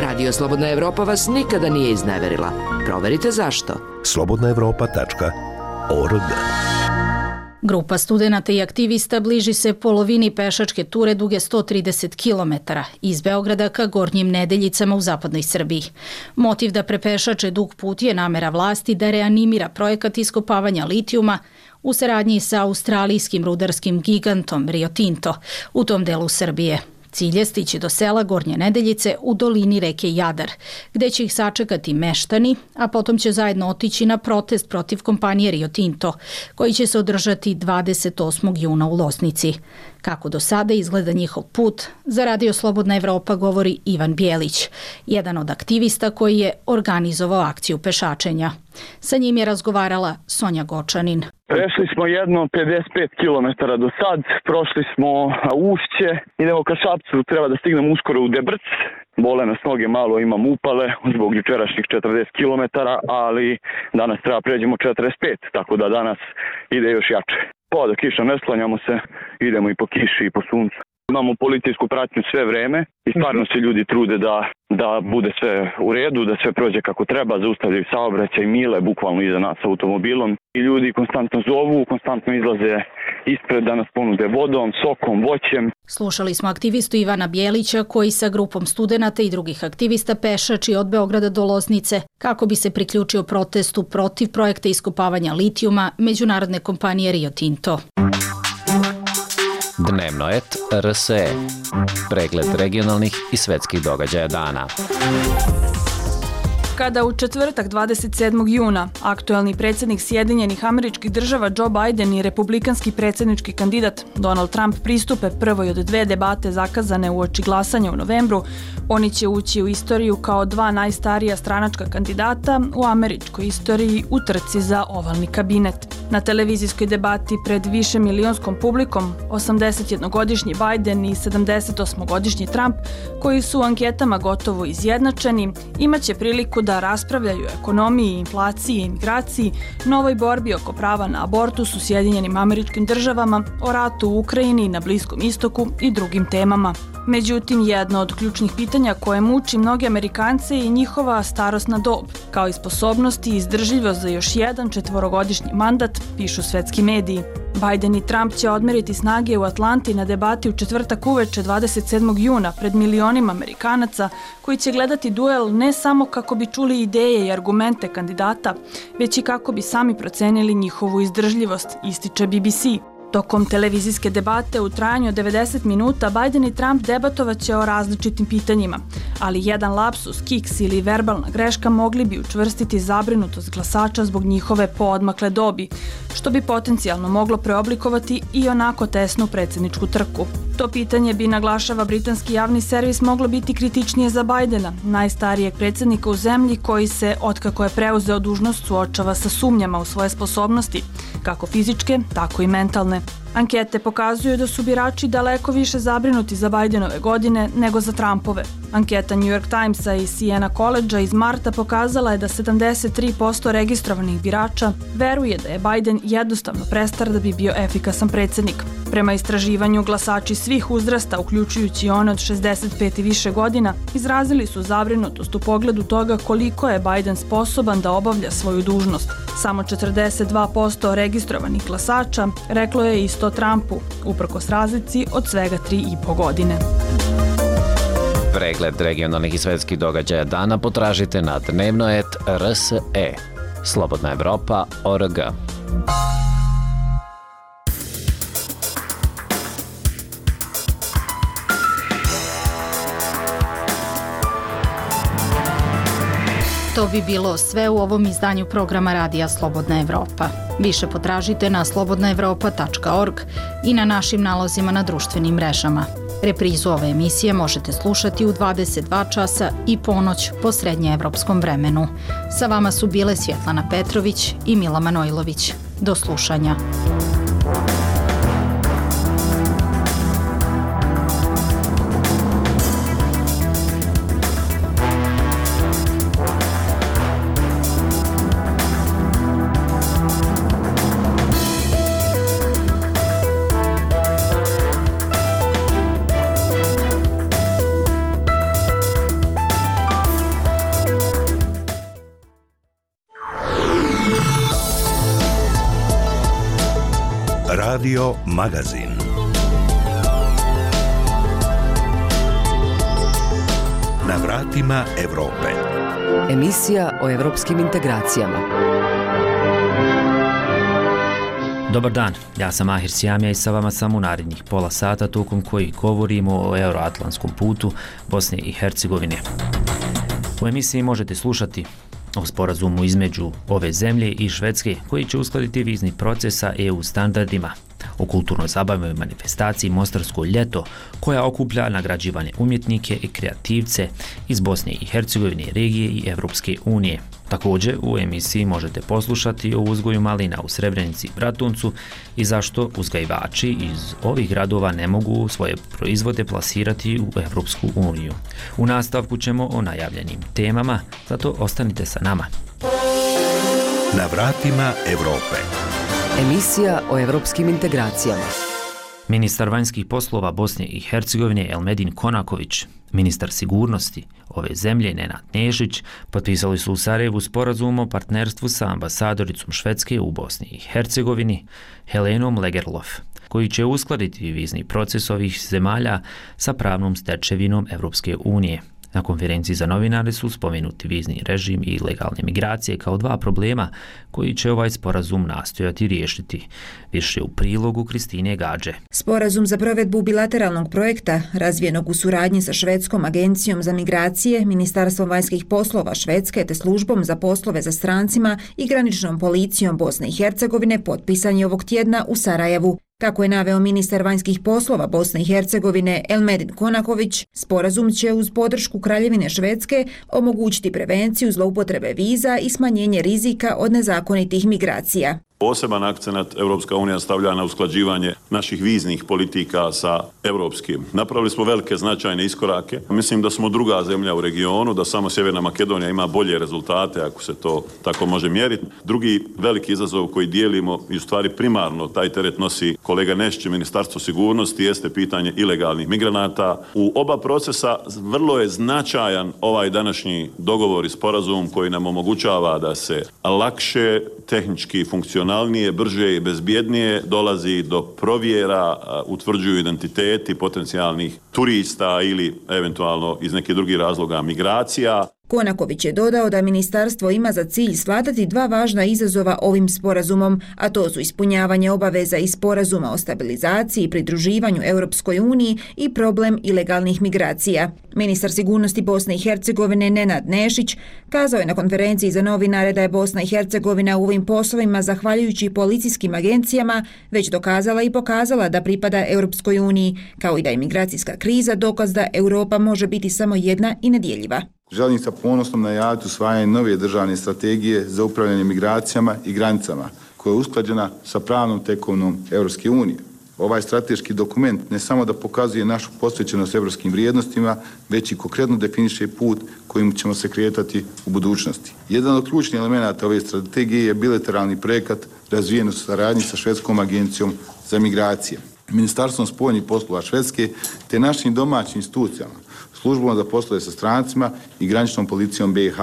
Radio Slobodna Evropa vas nikada nije izneverila. Proverite zašto. slobodnaevropa.org. Grupa studenata i aktivista bliži se polovini pešačke ture duge 130 km iz Beograda ka Gornjim Nedeljicama u zapadnoj Srbiji. Motiv da prepešače dug put je namera vlasti da reanimira projekat iskopavanja litijuma u saradnji sa australijskim rudarskim gigantom Rio Tinto u tom delu Srbije. Cilj je stići do sela Gornje Nedeljice u dolini reke Jadar, gde će ih sačekati meštani, a potom će zajedno otići na protest protiv kompanije Rio Tinto, koji će se održati 28. juna u Losnici. Kako do sada izgleda njihov put, za Radio Slobodna Evropa govori Ivan Bjelić, jedan od aktivista koji je organizovao akciju pešačenja. Sa njim je razgovarala Sonja Gočanin. Prešli smo jedno 55 km do sad, prošli smo Ušće, idemo ka Šapcu, treba da stignem uskoro u Debrc. Bole nas noge, malo imam upale zbog jučerašnjih 40 km, ali danas treba pređemo 45, tako da danas ide još jače. Da kiša ne sklanjamo se, idemo i po kiši i po suncu. Imamo policijsku pratnju sve vreme i stvarno se ljudi trude da bude sve u redu, da sve prođe kako treba, zaustavljaju saobraćaj, mile bukvalno iza nas automobilom. I ljudi konstantno zovu, konstantno izlaze ispred da nas ponude vodom, sokom, voćem. Slušali smo aktivistu Ivana Bjelića koji sa grupom studenata i drugih aktivista pešači od Beograda do Loznice kako bi se priključio protestu protiv projekta iskopavanja litijuma međunarodne kompanije Rio Tinto. Dnevnoet RSE. Pregled regionalnih i svetskih događaja dana. Kada u četvrtak 27. juna aktuelni predsjednik Sjedinjenih Američkih Država Joe Biden i republikanski predsjednički kandidat Donald Trump pristupe prvoj od dve debate zakazane uoči glasanja u novembru, oni će ući u istoriju kao dva najstarija stranačka kandidata u američkoj istoriji u trci za ovalni kabinet. Na televizijskoj debati pred višemilijonskom publikom 81-godišnji Biden i 78-godišnji Trump, koji su u anketama gotovo izjednačeni, imaće priliku da raspravljaju o ekonomiji, inflaciji, imigraciji, novoj borbi oko prava na abortus u Sjedinjenim Američkim Državama, o ratu u Ukrajini, na Bliskom istoku i drugim temama. Međutim, jedno od ključnih pitanja koje muči mnoge Amerikance je njihova starosna dob, kao i sposobnost i izdržljivost za još jedan 4-godišnji mandat, pišu svetski mediji. Biden i Trump će odmeriti snage u Atlanti na debati u četvrtak uveče 27. juna pred milionima Amerikanaca koji će gledati duel ne samo kako bi čuli ideje i argumente kandidata, već i kako bi sami procenili njihovu izdržljivost, ističe BBC. Tokom televizijske debate u trajanju od 90 minuta Biden i Trump debatovaće o različitim pitanjima, ali jedan lapsus, kiks ili verbalna greška mogli bi učvrstiti zabrinutost glasača zbog njihove poodmakle dobi, što bi potencijalno moglo preoblikovati i onako tesnu predsjedničku trku. To pitanje bi, naglašava britanski javni servis, moglo biti kritičnije za Bidena, najstarijeg predsjednika u zemlji koji se, otkako je preuzeo dužnost, suočava sa sumnjama u svoje sposobnosti, kako fizičke, tako i mentalne. Ankete pokazuju da su birači daleko više zabrinuti za Bidenove godine nego za Trumpove. Anketa New York Timesa i Siena College-a iz marta pokazala je da 73% registrovanih birača veruje da je Biden jednostavno prestar da bi bio efikasan predsjednik. Prema istraživanju, glasači svih uzrasta, uključujući one od 65 i više godina, izrazili su zabrinutost u pogledu toga koliko je Biden sposoban da obavlja svoju dužnost. Samo 42% registrovanih glasača reklo je isto Trumpu, uprkos razlici od svega 3,5 godine. Pregled regionalnih i svetskih događaja dana potražite na Dnevnoet RSE. slobodnaevropa.org. To bi bilo sve u ovom izdanju programa Radija Slobodna Evropa. Više potražite na slobodnaevropa.org i na našim nalozima na društvenim mrežama. Reprizu ove emisije možete slušati u 22 časa i ponoć po srednjeevropskom vremenu. Sa vama su bile Svjetlana Petrović i Mila Manojlović. Do slušanja. Radio Magazin. Na vratima Evrope. Emisija o evropskim integracijama. Dobar dan, ja sam Ahir Sjamija i sa vama sam u narednih pola sata tokom kojih govorimo o euroatlantskom putu Bosne i Hercegovine. U emisiji možete slušati o sporazumu između ove zemlje i Švedske koji će uskladiti vizni proces sa EU standardima, o kulturnoj zabavnoj manifestaciji Mostarsko ljeto koja okuplja nagrađivane umjetnike i kreativce iz Bosne i Hercegovine, regije i Evropske unije. Također u emisiji možete poslušati o uzgoju malina u Srebrenici i Bratuncu i zašto uzgajivači iz ovih gradova ne mogu svoje proizvode plasirati u Evropsku uniju. U nastavku ćemo o najavljenim temama, zato ostanite sa nama. Na vratima Evrope. Emisija o evropskim integracijama. Ministar vanjskih poslova Bosne i Hercegovine Elmedin Konaković, ministar sigurnosti ove zemlje Nenad Nešić potpisali su u Sarajevu sporazum o partnerstvu sa ambasadoricom Švedske u Bosni i Hercegovini Helenom Lagerlof, koji će uskladiti vizni proces ovih zemalja sa pravnom stečevinom Evropske unije. Na konferenciji za novinare su spomenuti vizni režim i legalne migracije kao dva problema koji će ovaj sporazum nastojati riješiti. Više u prilogu Kristine Gađe. Sporazum za provedbu bilateralnog projekta, razvijenog u suradnji sa Švedskom agencijom za migracije, Ministarstvom vanjskih poslova Švedske te službom za poslove za strancima i graničnom policijom Bosne i Hercegovine, potpisan je ovog tjedna u Sarajevu. Kako je naveo ministar vanjskih poslova Bosne i Hercegovine Elmedin Konaković, sporazum će uz podršku Kraljevine Švedske omogućiti prevenciju zloupotrebe viza i smanjenje rizika od nezakonitih migracija. Poseban akcenat Evropska unija stavlja na usklađivanje naših viznih politika sa evropskim. Napravili smo velike značajne iskorake. Mislim da smo druga zemlja u regionu, da samo Sjeverna Makedonija ima bolje rezultate, ako se to tako može mjeriti. Drugi veliki izazov koji dijelimo i u stvari primarno taj teret nosi kolega Nešić, Ministarstvo sigurnosti, jeste pitanje ilegalnih migranata. U oba procesa vrlo je značajan ovaj današnji dogovor i sporazum koji nam omogućava da se lakše, tehnički funkcionalnije, brže i bezbjednije dolazi do provjera, utvrđuju identiteti potencijalnih turista ili eventualno iz nekih drugih razloga migracija. Konaković je dodao da ministarstvo ima za cilj svladati dva važna izazova ovim sporazumom, a to su ispunjavanje obaveza iz sporazuma o stabilizaciji i pridruživanju Europskoj uniji i problem ilegalnih migracija. Ministar sigurnosti Bosne i Hercegovine Nenad Nešić kazao je na konferenciji za novinare da je Bosna i Hercegovina u ovim poslovima, zahvaljujući policijskim agencijama, već dokazala i pokazala da pripada Europskoj uniji, kao i da je migracijska kriza dokaz da Europa može biti samo jedna i nedjeljiva. Želim sa ponosom najaviti usvajanje nove državne strategije za upravljanje migracijama i granicama, koja je usklađena sa pravnom tekovinom Europske unije. Ovaj strateški dokument ne samo da pokazuje našu posvećenost europskim vrijednostima, već i konkretno definiše put kojim ćemo se kretati u budućnosti. Jedan od ključnih elemenata ove strategije je bilateralni projekat razvijen u saradnji sa Švedskom agencijom za migracije, Ministarstvom spoljnih poslova Švedske te našim domaćim institucijama, službom za poslove sa strancima i graničnom policijom BiH.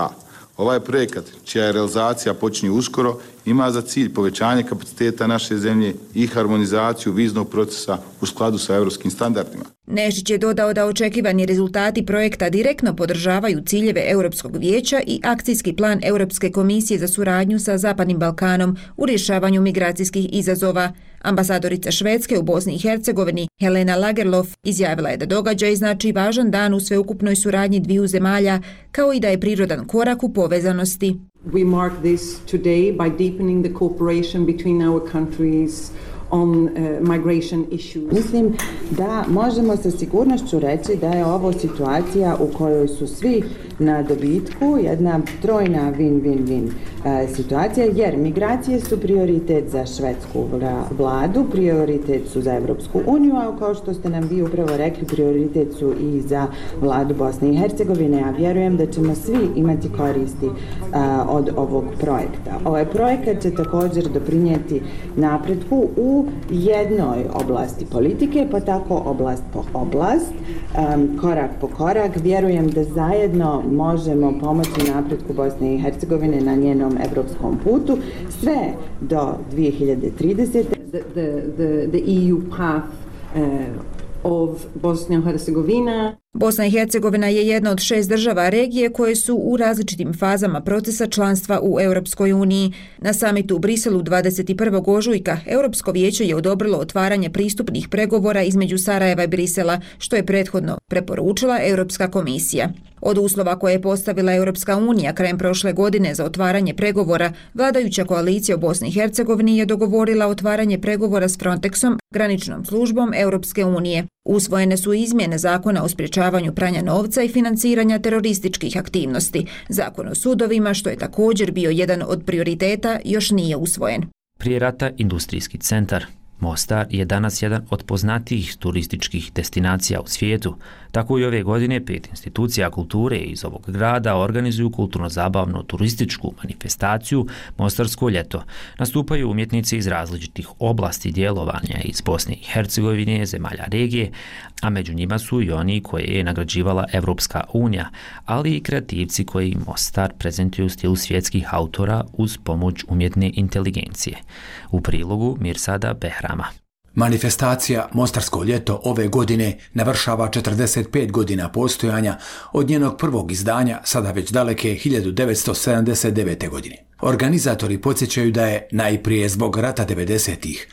Ovaj projekat, čija je realizacija počinje uskoro, ima za cilj povećanje kapaciteta naše zemlje i harmonizaciju viznog procesa u skladu sa europskim standardima. Nešić je dodao da očekivani rezultati projekta direktno podržavaju ciljeve Europskog vijeća i akcijski plan Europske komisije za suradnju sa Zapadnim Balkanom u rješavanju migracijskih izazova. Ambasadorica Švedske u Bosni i Hercegovini Helena Lagerlof izjavila je da događaj znači važan dan u sveukupnoj suradnji dviju zemalja, kao i da je prirodan korak u povezanosti. We mark this today by deepening the cooperation between our countries on migration issues. Mislim da možemo sa sigurnošću reći da je ovo situacija u kojoj su svi na dobitku, jedna trojna win-win-win situacija, jer migracije su prioritet za švedsku vladu, prioritet su za Evropsku uniju, a kao što ste nam vi upravo rekli, prioritet su i za vladu Bosne i Hercegovine, a vjerujem da ćemo svi imati koristi od ovog projekta. Ovaj projekat će također doprinijeti napretku u jednoj oblasti politike, pa tako oblast po oblast, korak po korak. Vjerujem da zajedno možemo pomoći napretku Bosne i Hercegovine na njenom evropskom putu, sve do 2030. the EU path of Bosnia and Herzegovina. Bosna i Hercegovina je jedna od 6 država regije koje su u različitim fazama procesa članstva u Europskoj uniji. Na samitu u Briselu 21. ožujka Europsko vijeće je odobrilo otvaranje pristupnih pregovora između Sarajeva i Brisela, što je prethodno preporučila Europska komisija. Od uslova koje je postavila Europska unija krajem prošle godine za otvaranje pregovora, vladajuća koalicija u Bosni i Hercegovini je dogovorila otvaranje pregovora s Frontexom, graničnom službom Europske unije. Usvojene su izmjene zakona o sprječavanju pranja novca i financiranja terorističkih aktivnosti. Zakon o sudovima, što je također bio jedan od prioriteta, još nije usvojen. Prije rata industrijski centar Mostar je danas jedan od poznatijih turističkih destinacija u svijetu. Tako i ove godine 5 institucija kulture iz ovog grada organizuju kulturno-zabavnu turističku manifestaciju Mostarsko ljeto. Nastupaju umjetnici iz različitih oblasti djelovanja iz Bosne i Hercegovine, zemalja regije, a među njima su i oni koje je nagrađivala Evropska unija, ali i kreativci koji Mostar prezentuju u stilu svjetskih autora uz pomoć umjetne inteligencije. U prilogu Mirsada Behrama. Manifestacija Mostarsko ljeto ove godine navršava 45 godina postojanja od njenog prvog izdanja, sada već daleke 1979. godine. Organizatori podsjećaju da je najprije zbog rata 90-ih,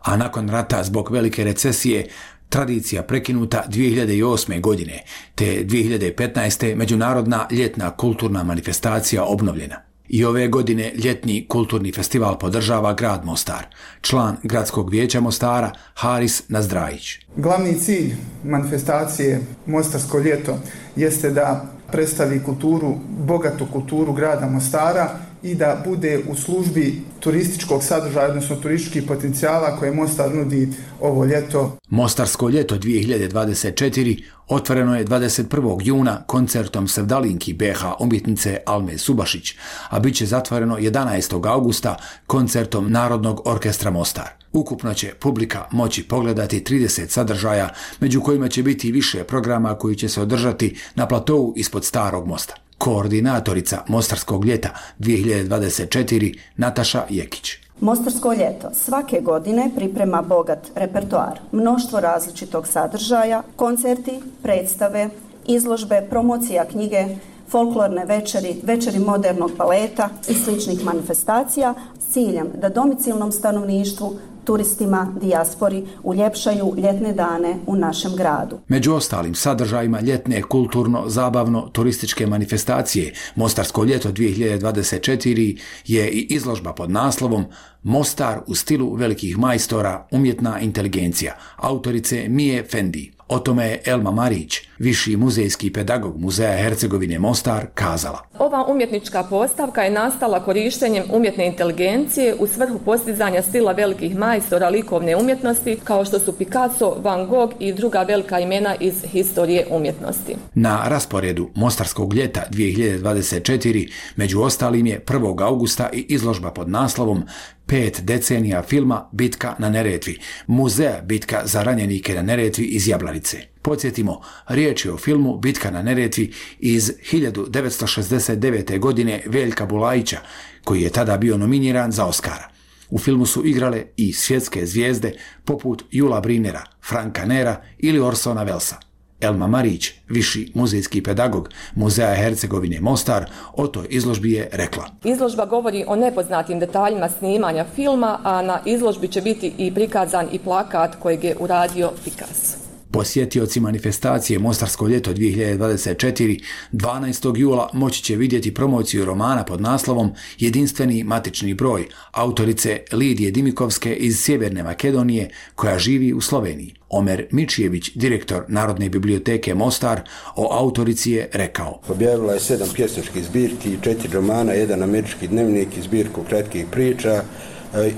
a nakon rata zbog velike recesije tradicija prekinuta 2008. godine, te 2015. međunarodna ljetna kulturna manifestacija obnovljena. I ove godine ljetni kulturni festival podržava grad Mostar. Član gradskog vijeća Mostara Haris Nazdrajić. Glavni cilj manifestacije Mostarsko ljeto jeste da predstavi kulturu, bogatu kulturu grada Mostara i da bude u službi turističkog sadržaja, odnosno turističkih potencijala koje Mostar nudi ovo ljeto. Mostarsko ljeto 2024 otvoreno je 21. juna koncertom sevdalinki BH umjetnice Alme Subašić, a bit će zatvoreno 11. augusta koncertom Narodnog orkestra Mostar. Ukupno će publika moći pogledati 30 sadržaja, među kojima će biti više programa koji će se održati na platovu ispod Starog mosta. Koordinatorica Mostarskog ljeta 2024 Nataša Jekić. Mostarsko ljeto svake godine priprema bogat repertoar, mnoštvo različitog sadržaja, koncerti, predstave, izložbe, promocija knjige, folklorne večeri, večeri modernog baleta i sličnih manifestacija s ciljem da domicilnom stanovništvu, turistima, dijaspori uljepšaju ljetne dane u našem gradu. Među ostalim sadržajima ljetne kulturno-zabavno-turističke manifestacije Mostarsko ljeto 2024 je i izložba pod naslovom Mostar u stilu velikih majstora, umjetna inteligencija, autorice Mije Fendi. O tome je Elma Marić, viši muzejski pedagog Muzeja Hercegovine Mostar, kazala. Ova umjetnička postavka je nastala korištenjem umjetne inteligencije u svrhu postizanja stila velikih majstora likovne umjetnosti kao što su Picasso, Van Gogh i druga velika imena iz historije umjetnosti. Na rasporedu Mostarskog ljeta 2024 među ostalim je 1. augusta i izložba pod naslovom 5 decenija filma Bitka na Neretvi, Muzeja Bitka za ranjenike na Neretvi iz Jablanice. Podsjetimo, riječ je o filmu Bitka na Neretvi iz 1969. godine Veljka Bulajića, koji je tada bio nominiran za Oskara. U filmu su igrale i svjetske zvijezde poput Jula Brinera, Franka Nera ili Orsona Wellesa. Elma Marić, viši muzejski pedagog Muzeja Hercegovine Mostar, o toj izložbi je rekla. Izložba govori o nepoznatim detaljima snimanja filma, a na izložbi će biti i prikazan i plakat kojeg je uradio Picasso. Posjetioci manifestacije Mostarsko ljeto 2024 12. jula moći će vidjeti promociju romana pod naslovom Jedinstveni matični broj autorice Lidije Dimikovske iz Sjeverne Makedonije koja živi u Sloveniji. Omer Mičijević, direktor Narodne biblioteke Mostar, o autorici je rekao. Objavila je 7 pjesničkih zbirki, 4 romana, 1 američki dnevnik i zbirku kratkih priča.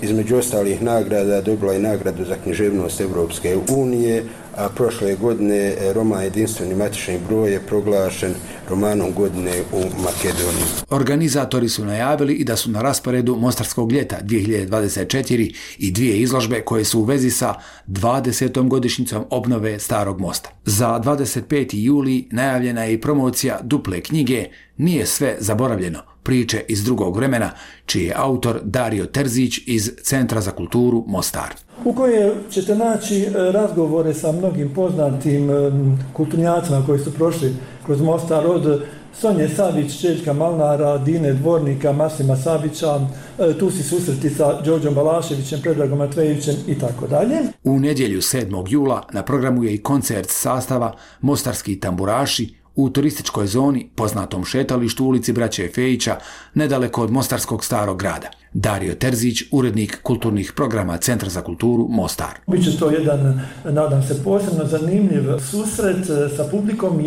Između ostalih nagrada dobila je nagradu za književnost Evropske unije, a prošle godine roman Jedinstveni matični broj je proglašen romanom godine u Makedoniji. Organizatori su najavili i da su na rasporedu Mostarskog ljeta 2024 i 2 izložbe koje su u vezi sa 20. godišnjicom obnove Starog mosta. Za 25. juli najavljena je i promocija duple knjige Nije sve zaboravljeno, priče iz drugog vremena, čiji je autor Dario Terzić iz Centra za kulturu Mostar. U kojoj ćete naći razgovore sa mnogim poznatim kulturnjacima koji su prošli kroz Mostar, od Sonje Savić, Željka Malnara, Dine Dvornika, Maslima Savića, tu si susreti sa Đorđom Balaševićem, Predragom Matvejevićem i tako dalje. U nedjelju 7. jula na programu je i koncert sastava Mostarski tamburaši u turističkoj zoni poznatom šetalištu ulici Braće Fejića, nedaleko od Mostarskog starog grada. Dario Terzić, urednik kulturnih programa Centra za kulturu Mostar. Biće to jedan, nadam se, posebno zanimljiv susret sa publikom,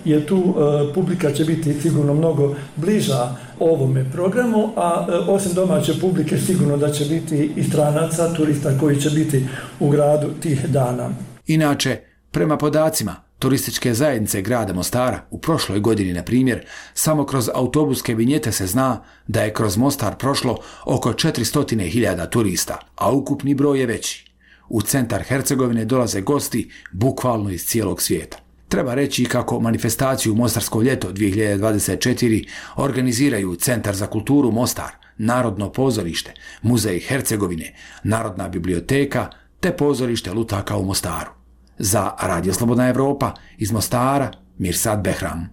jer tu publika će biti sigurno mnogo bliža ovome programu, a osim domaće publike sigurno da će biti i stranaca, turista koji će biti u gradu tih dana. Inače, prema podacima turističke zajednice grada Mostara u prošloj godini, na primjer, samo kroz autobuske vinjete se zna da je kroz Mostar prošlo oko 400.000 turista, a ukupni broj je veći. U centar Hercegovine dolaze gosti bukvalno iz cijelog svijeta. Treba reći kako manifestaciju Mostarsko ljeto 2024 organiziraju Centar za kulturu Mostar, Narodno pozorište, Muzej Hercegovine, Narodna biblioteka te pozorište lutaka u Mostaru. Za Radio Slobodna Evropa iz Mostara, Mirsad Behram.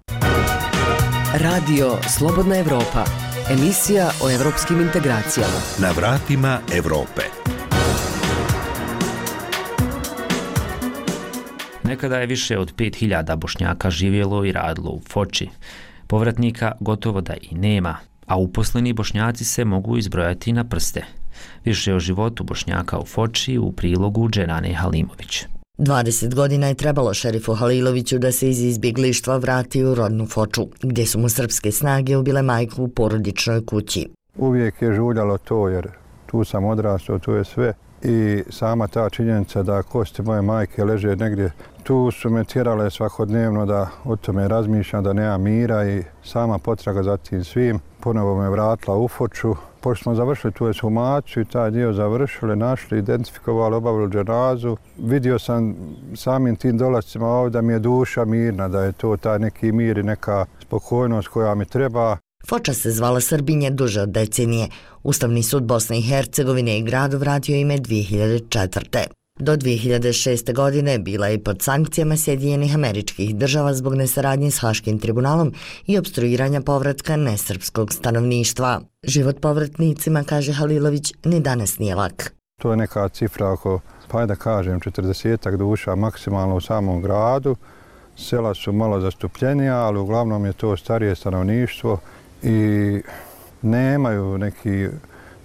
Radio Slobodna Evropa, emisija o evropskim integracijama. Na vratima Evrope. Nekada je više od 5000 Bošnjaka živjelo i radilo u Foči. Povratnika gotovo da i nema, a uposleni Bošnjaci se mogu izbrojati na prste. Više o životu Bošnjaka u Foči u prilogu Dženane Halimović. 20 godina je trebalo šerifu Haliloviću da se iz izbjeglištva vrati u rodnu Foču, gdje su mu srpske snage ubile majku u porodičnoj kući. Uvijek je žuljalo to, jer tu sam odrastao, tu je sve. I sama ta činjenica da kosti moje majke leže negdje, tu su me tjerale svakodnevno da o tome razmišljam, da nema mira, i sama potraga za tim svim ponovo me vratila u Foču. Pošto smo završili tu ekshumaciju i taj dio završili, našli, identifikovali, obavili dženazu, vidio sam samim tim dolascima ovdje da mi je duša mirna, da je to taj neki mir i neka spokojnost koja mi treba. Foča se zvala Srbinje duže od decenije. Ustavni sud Bosne i Hercegovine i gradu vratio ime 2004. Do 2006. godine bila je pod sankcijama Sjedinjenih Američkih Država zbog nesaradnje s Haškim tribunalom i opstruiranja povratka nesrpskog stanovništva. Život povratnicima, kaže Halilović, ni danas nije lak. To je neka cifra oko, pa da kažem, 40 duša maksimalno u samom gradu. Sela su malo zastupljenija, ali uglavnom je to starije stanovništvo i nemaju neki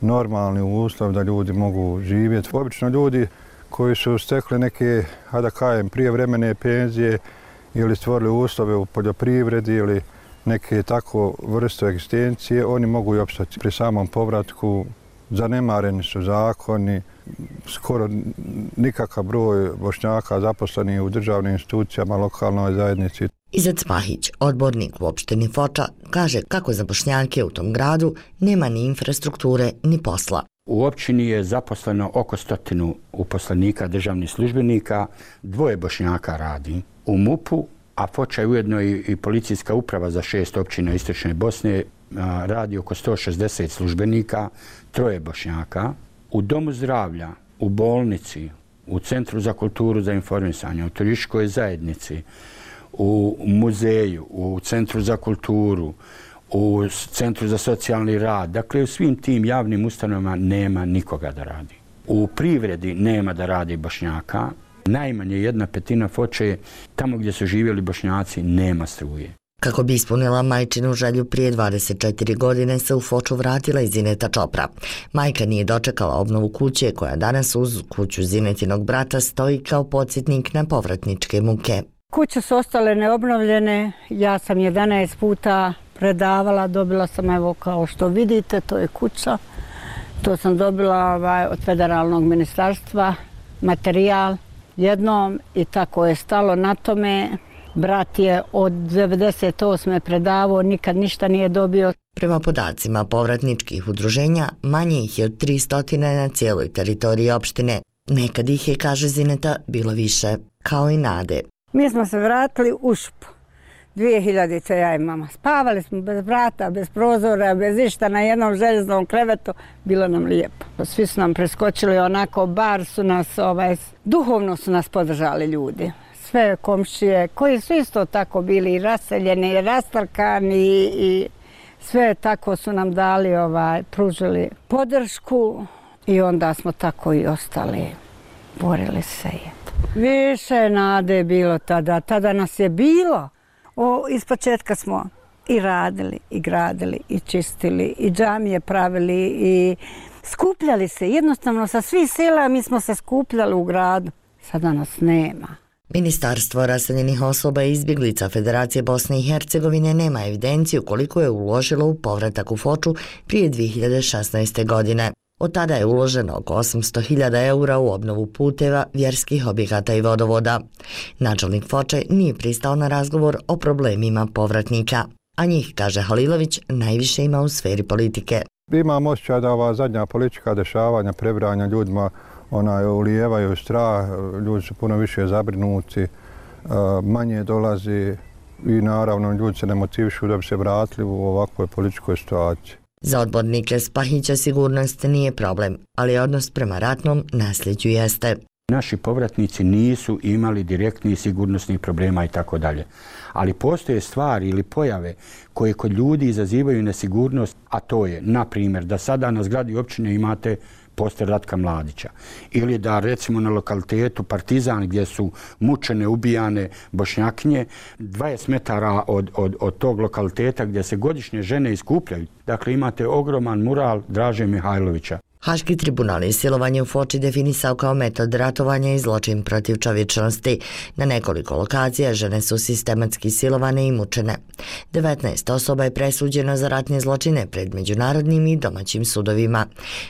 normalni uslov da ljudi mogu živjeti. Obično ljudi koji su stekli neke, da kažem, prijevremene penzije ili stvorili uslove u poljoprivredi ili neke tako vrste egzistencije, oni mogu i opstati. Pri samom povratku zanemareni su zakoni, skoro nikakav broj Bošnjaka zaposleni u državnim institucijama, lokalnoj zajednici. Izet Spahić, odbornik u opštini Foča, kaže kako za Bošnjake u tom gradu nema ni infrastrukture ni posla. U općini je zaposleno oko 100 uposlenika državnih službenika, 2 Bošnjaka radi u MUP-u, a Foča je ujedno i policijska uprava za 6 općina Istočne Bosne, radi oko 160 službenika, 3 Bošnjaka. U domu zdravlja, u bolnici, u Centru za kulturu za informisanje, u turističkoj zajednici, u muzeju, u Centru za kulturu, u Centru za socijalni rad. Dakle, u svim tim javnim ustanovama nema nikoga da radi. U privredi nema da radi Bošnjaka. Najmanje 1/5 Foče, tamo gdje su živjeli Bošnjaci, nema struje. Kako bi ispunila majčinu želju, prije 24 godine se u Foču vratila i Zineta Čopra. Majka nije dočekala obnovu kuće koja danas uz kuću Zinetinog brata stoji kao podsjetnik na povratničke muke. Kuće su ostale neobnovljene, ja sam 11 puta predavala, dobila sam, evo kao što vidite, to je kuća. To sam dobila od federalnog ministarstva, materijal jednom i tako je stalo na tome. Brat je od 98. predavao, nikad ništa nije dobio. Prema podacima povratničkih udruženja, manje ih je od 300 na cijeloj teritoriji opštine. Nekad ih je, kaže Zineta, bilo više, kao i nade. Mi smo se vratili u Šup. 2000 ja i mama. Spavali smo bez vrata, bez prozora, bez išta, na jednom željeznom krevetu. Bilo nam lijepo. Svi su nam preskočili onako, bar su nas, duhovno su nas podržali ljudi. Sve komšije koji su isto tako bili raseljeni, rastrkani i sve tako su nam dali, pružili podršku i onda smo tako i ostali. Borili se. Više nade je bilo tada. Tada nas je bilo. Ispočetka smo i radili, i gradili, i čistili, i džamije pravili, i skupljali se. Jednostavno sa svih sela mi smo se skupljali u gradu. Sada nas nema. Ministarstvo raseljenih osoba i izbjeglica Federacije Bosne i Hercegovine nema evidenciju koliko je uložilo u povratak u Foču prije 2016. godine. Od tada je uloženo oko 800.000 eura u obnovu puteva, vjerskih objekata i vodovoda. Načelnik Foče nije pristao na razgovor o problemima povratnika, a njih, kaže Halilović, najviše ima u sferi politike. Imam osjećaj da ova zadnja politička dešavanja, prebranja ljudima, ulijevaju strah, ljudi su puno više zabrinuti, manje dolazi i naravno ljudi se ne motivišu da bi se vratili u ovakvoj političkoj situaciji. Za odbornike Spahića sigurnost nije problem, ali odnos prema ratnom nasljeđu jeste. Naši povratnici nisu imali direktnih sigurnosnih problema i tako dalje. Ali postoje stvari ili pojave koje kod ljudi izazivaju nesigurnost, a to je, na primjer, da sada na zgradi općine imate poster Ratka Mladića. Ili da recimo na lokalitetu Partizan gdje su mučene, ubijane Bošnjakinje, 20 metara od tog lokaliteta gdje se godišnje žene iskupljaju. Dakle, imate ogroman mural Draže Mihajlovića. Haški tribunal je silovanje u Foči definisao kao metod ratovanja i zločin protiv čovječnosti. Na nekoliko lokacija žene su sistematski silovane i mučene. 19 osoba je presuđeno za ratne zločine pred međunarodnim i domaćim sudovima.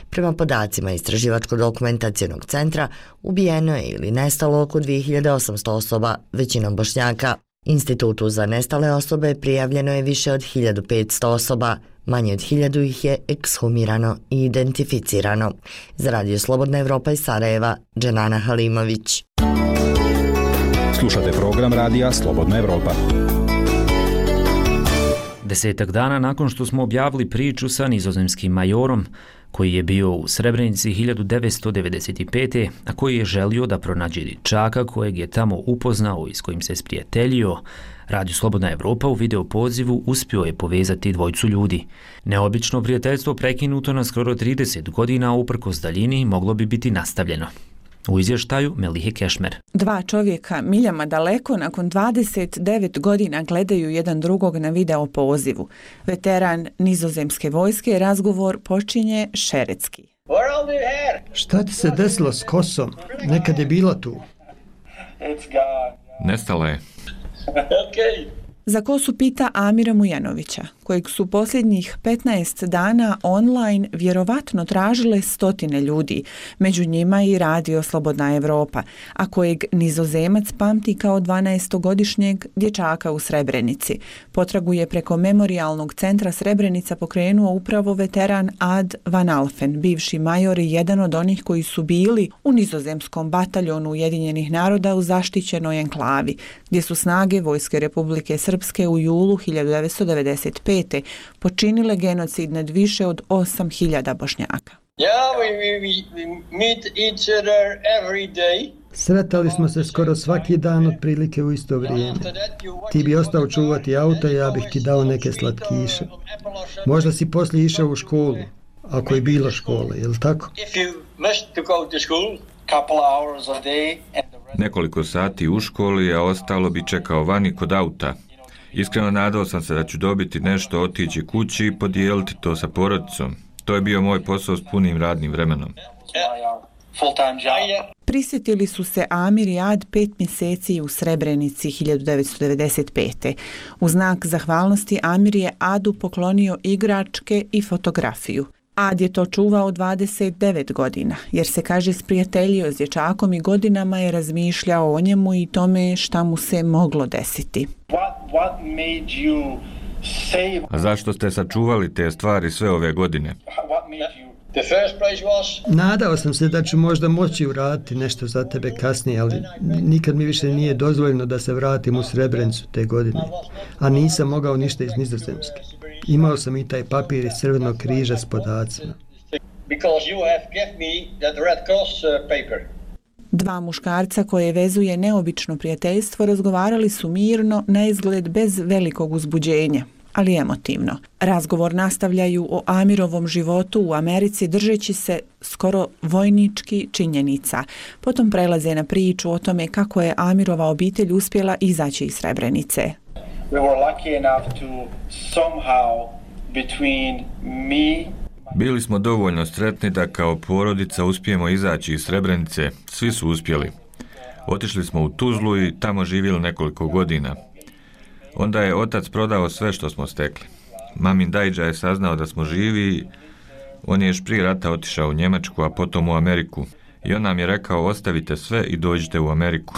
Prema podacima Istraživačko-dokumentacionog centra, ubijeno je ili nestalo oko 2800 osoba, većinom Bošnjaka. Institutu za nestale osobe prijavljeno je više od 1500 osoba. Manje od 1000 ih je ekshumirano i identificirano. Za Radio Slobodna Evropa iz Sarajeva, Dženana Halimović. Slušate program Radija Slobodna Evropa. 10 dana nakon što smo objavili priču sa nizozemskim majorom, koji je bio u Srebrenici 1995. a koji je želio da pronađe dječaka kojeg je tamo upoznao i s kojim se sprijateljio, Radio Slobodna Evropa u video pozivu uspio je povezati dvojicu ljudi. Neobično prijateljstvo prekinuto na skoro 30 godina, uprkos daljini, moglo bi biti nastavljeno. U izvještaju Melihe Kešmer. Dva čovjeka miljama daleko nakon 29 godina gledaju jedan drugog na video pozivu. Veteran nizozemske vojske razgovor počinje šeretski. Šta ti se desilo s kosom? Nekad je bila tu. Nestala je. Za kosu pita Amira Mujanovića, kojeg su posljednjih 15 dana online vjerovatno tražile stotine ljudi, među njima i Radio Slobodna Evropa, a kojeg nizozemac pamti kao 12-godišnjeg dječaka u Srebrenici. Potragu je preko Memorijalnog centra Srebrenica pokrenuo upravo veteran Ad Van Alphen, bivši major i jedan od onih koji su bili u nizozemskom bataljonu Ujedinjenih naroda u zaštićenoj enklavi, gdje su snage Vojske Republike Srpske u julu 1995. počinile genocid nad više od 8.000 Bošnjaka. Sretali smo se skoro svaki dan otprilike u isto vrijeme. Ti bi ostao čuvati auto, ja bih ti dao neke slatkiše. Možda si poslije išao u školu, ako je bilo škole, je li tako? Nekoliko sati u školi, a ostalo bi čekao vani kod auta. Iskreno nadao sam se da ću dobiti nešto, otići kući i podijeliti to sa porodicom. To je bio moj posao s punim radnim vremenom. Prisjetili su se Amir i Ad 5 mjeseci u Srebrenici 1995. U znak zahvalnosti Amir je Adu poklonio igračke i fotografiju. Ad je to čuvao 29 godina, jer se, kaže, sprijateljio s dječakom i godinama je razmišljao o njemu i tome šta mu se moglo desiti. What made you A zašto ste sačuvali te stvari sve ove godine? Nadao sam se da ću možda moći uraditi nešto za tebe kasnije, ali nikad mi više nije dozvoljeno da se vratim u Srebrenicu te godine. A nisam mogao ništa iz Nizozemske. Imao sam i taj papir iz Crvenog križa s podacima. Dva muškarca koje vezuje neobično prijateljstvo razgovarali su mirno, na izgled bez velikog uzbuđenja, ali emotivno. Razgovor nastavljaju o Amirovom životu u Americi držeći se skoro vojnički činjenica. Potom prelaze na priču o tome kako je Amirova obitelj uspjela izaći iz Srebrenice. Bili smo dovoljno sretni da kao porodica uspijemo izaći iz Srebrenice. Svi su uspjeli. Otišli smo u Tuzlu i tamo živjeli nekoliko godina. Onda je otac prodao sve što smo stekli. Mamin dajđa je saznao da smo živi. On je još prije rata otišao u Njemačku, a potom u Ameriku. I on nam je rekao, ostavite sve i dođite u Ameriku.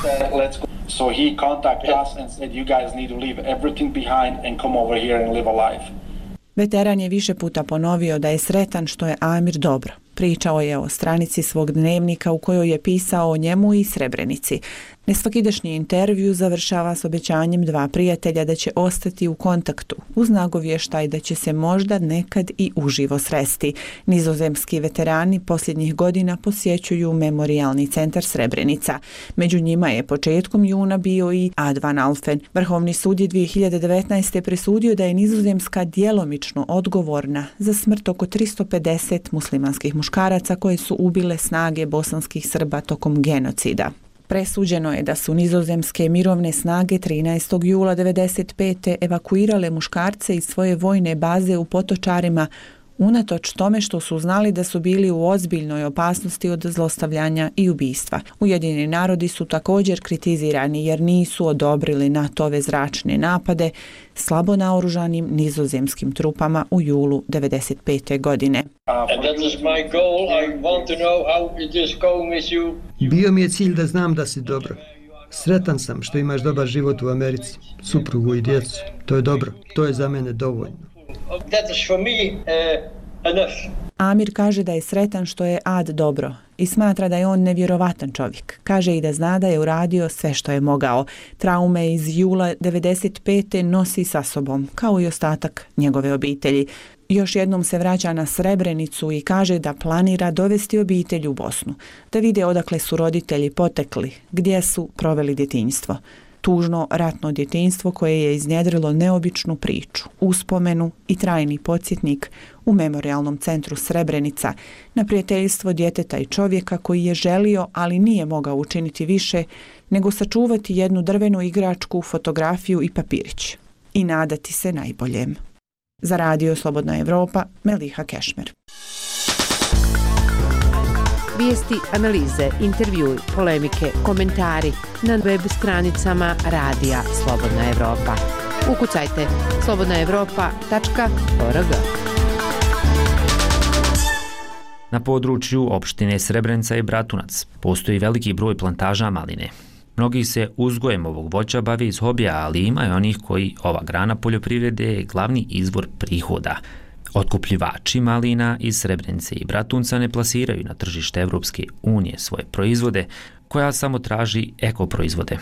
Veteran je više puta ponovio da je sretan što je Amir dobro. Pričao je o stranici svog dnevnika u kojoj je pisao o njemu i Srebrenici. Nesvakidašnji intervju završava s obećanjem dva prijatelja da će ostati u kontaktu, uz nagovještaj da će se možda nekad i uživo sresti. Nizozemski veterani posljednjih godina posjećuju Memorijalni centar Srebrenica. Među njima je početkom juna bio i Advan Alfen. Vrhovni sud je 2019. presudio da je Nizozemska djelomično odgovorna za smrt oko 350 muslimanskih muškaraca koje su ubile snage bosanskih Srba tokom genocida. Presuđeno je da su nizozemske mirovne snage 13. jula 1995. evakuirale muškarce iz svoje vojne baze u Potočarima, unatoč tome što su znali da su bili u ozbiljnoj opasnosti od zlostavljanja i ubistva. Ujedinjeni narodi su također kritizirani jer nisu odobrili NATO-ve zračne napade slabo naoružanim nizozemskim trupama u julu 1995. godine. Bio mi je cilj da znam da si dobro. Sretan sam što imaš dobar život u Americi, suprugu i djecu. To je dobro, to je za mene dovoljno. Amir kaže da je sretan što je Ad dobro i smatra da je on nevjerovatan čovjek. Kaže i da zna da je uradio sve što je mogao. Traume iz jula 1995. nosi sa sobom, kao i ostatak njegove obitelji. Još jednom se vraća na Srebrenicu i kaže da planira dovesti obitelj u Bosnu, da vide odakle su roditelji potekli, gdje su proveli djetinjstvo. Tužno ratno djetinjstvo koje je iznjedrilo neobičnu priču, uspomenu i trajni podsjetnik u Memorijalnom centru Srebrenica na prijateljstvo djeteta i čovjeka koji je želio, ali nije mogao učiniti više nego sačuvati jednu drvenu igračku, fotografiju i papirić i nadati se najboljem. Za Radio Slobodna Evropa, Meliha Kešmer. Vijesti, analize, intervjui, polemike, komentari na web stranicama Radija Slobodna Evropa. Ukucajte slobodnaevropa.org. Na području opštine Srebrenica i Bratunac postoji veliki broj plantaža maline. Mnogi se uzgojem ovog voća bave iz hobija, ali ima i onih koji ova grana poljoprivrede je glavni izvor prihoda. Otkupljivači malina iz Srebrenice i Bratunca ne plasiraju na tržište Evropske unije svoje proizvode, koja samo traži ekoproizvode,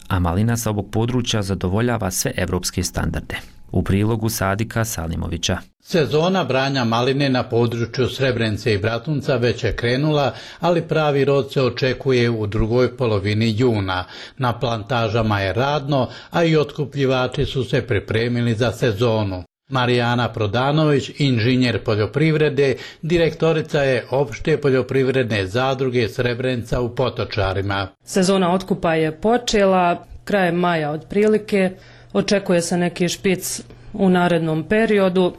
a malina sa ovog područja zadovoljava sve evropske standarde. U prilogu Sadika Salimovića. Sezona branja maline na području Srebrenice i Bratunca već je krenula, ali pravi rod se očekuje u drugoj polovini juna. Na plantažama je radno, a i otkupljivači su se pripremili za sezonu. Marijana Prodanović, inženjer poljoprivrede, direktorica je opšte poljoprivredne zadruge Srebrenica u Potočarima. Sezona otkupa je počela krajem maja otprilike. Očekuje se neki špic u narednom periodu.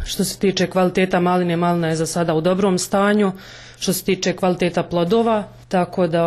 Što se tiče kvaliteta maline, malina je za sada u dobrom stanju. Što se tiče kvaliteta plodova, tako da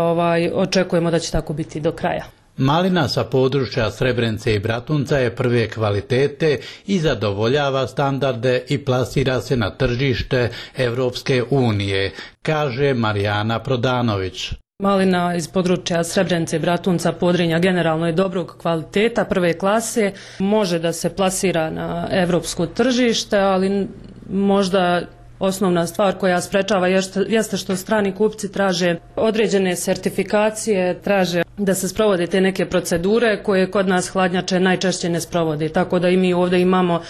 očekujemo da će tako biti do kraja. Malina sa područja Srebrenice i Bratunca je prve kvalitete i zadovoljava standarde i plasira se na tržište Evropske unije, kaže Marijana Prodanović. Malina iz područja Srebrenice i Bratunca, Podrinja generalno je dobrog kvaliteta, prve klase, može da se plasira na evropsko tržište, ali možda osnovna stvar koja sprečava jeste što strani kupci traže određene sertifikacije, traže da se sprovode te neke procedure koje kod nas hladnjače najčešće ne sprovode. Tako da i mi ovdje imamo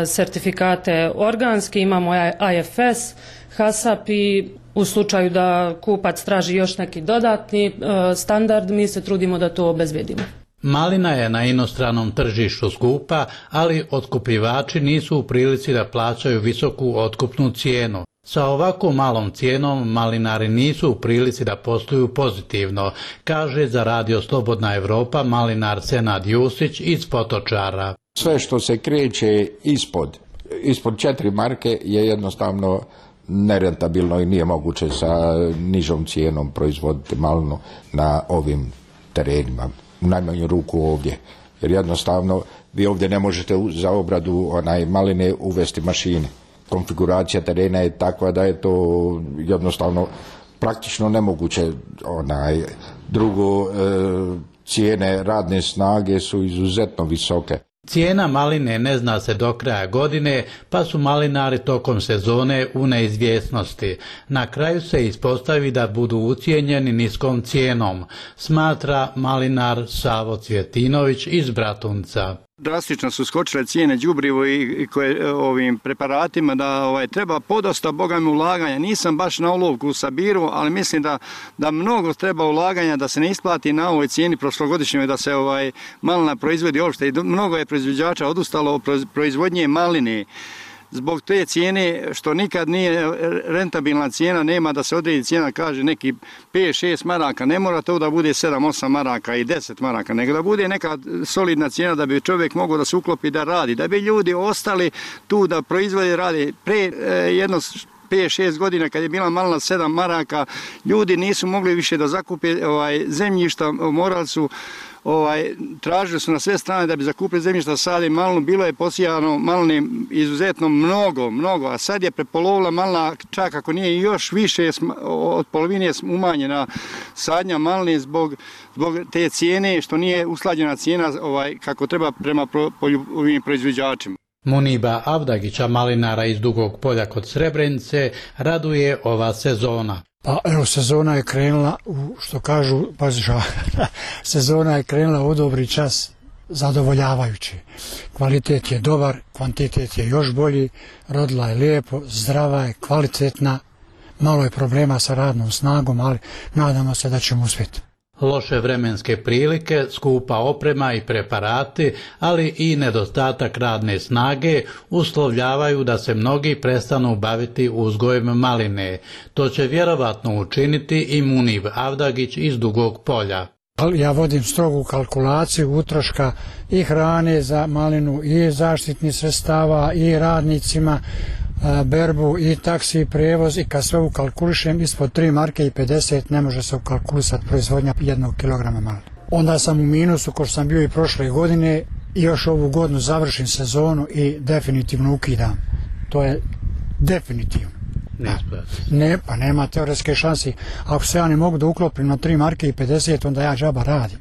sertifikate organski, imamo IFS, HACCP i u slučaju da kupac traži još neki dodatni standard, mi se trudimo da to obezbedimo. Malina je na inostranom tržištu skupa, ali otkupljivači nisu u prilici da plaćaju visoku otkupnu cijenu. Sa ovako malom cijenom malinari nisu u prilici da posluju pozitivno, kaže za Radio Slobodna Evropa malinar Senad Jusić iz Potočara. Sve što se kreće ispod 4 marke je jednostavno nerentabilno i nije moguće sa nižom cijenom proizvoditi malinu na ovim terenima, u najmanju ruku ovdje. Jer jednostavno vi ovdje ne možete za obradu maline uvesti mašine. Konfiguracija terena je takva da je to jednostavno praktično nemoguće. Drugo, cijene radne snage su izuzetno visoke. Cijena maline ne zna se do kraja godine, pa su malinari tokom sezone u neizvjesnosti. Na kraju se ispostavi da budu ucijenjeni niskom cijenom, smatra malinar Savo Cvjetinović iz Bratunca. Drastično su skočile cijene đubrivo i ovim preparatima da treba podosta bogami ulaganja. Nisam baš na olovku u sabiru, ali mislim da mnogo treba ulaganja da se ne isplati na ovoj cijeni prošlogodišnjoj da se malina proizvodi uopšte. I mnogo je proizvođača odustalo od proizvodnje maline. Zbog te cijene, što nikad nije rentabilna cijena, nema da se odredi cijena, kaže neki 5-6 maraka, ne mora to da bude 7-8 maraka i 10 maraka, nego da bude neka solidna cijena da bi čovjek mogao da se uklopi da radi, da bi ljudi ostali tu da proizvode radi. Pre jedno 5-6 godina kad je bila malina 7 maraka, ljudi nisu mogli više da zakupe zemljišta, morali su tražili su na sve strane da bi zakupili zemljišta, sade malinu, bilo je posijano maline izuzetno mnogo, a sad je prepolovila malina, čak ako nije još više od polovine umanjena sadnja maline zbog te cijene, što nije usklađena cijena kako treba prema ovim proizvođačima. Muniba Avdagića, malinara iz Dugog polja kod Srebrenice, raduje ova sezona. Pa evo, sezona je krenula, što kažu, sezona je krenula u dobri čas, zadovoljavajući. Kvalitet je dobar, kvantitet je još bolji, rodila je lijepo, zdrava je, kvalitetna, malo je problema sa radnom snagom, ali nadamo se da ćemo uspjeti. Loše vremenske prilike, skupa oprema i preparati, ali i nedostatak radne snage uslovljavaju da se mnogi prestanu baviti uzgojem maline. To će vjerovatno učiniti i Munib Avdagić iz Dugog polja. Ja vodim strogu kalkulaciju utroška i hrane za malinu i zaštitnih sredstava i radnicima, berbu i taksi prevoz, i kad sve ukalkulišem ispod 3 marke i 50 ne može se ukalkulisati proizvodnja 1 kilograma maline. Onda sam u minusu ko što sam bio i prošle godine i još ovu godinu završim sezonu i definitivno ukidam. To je definitivno. Pa nema teoretske šansi. Ako se ja ne mogu da uklopim na 3 marke i 50, onda ja džaba radim.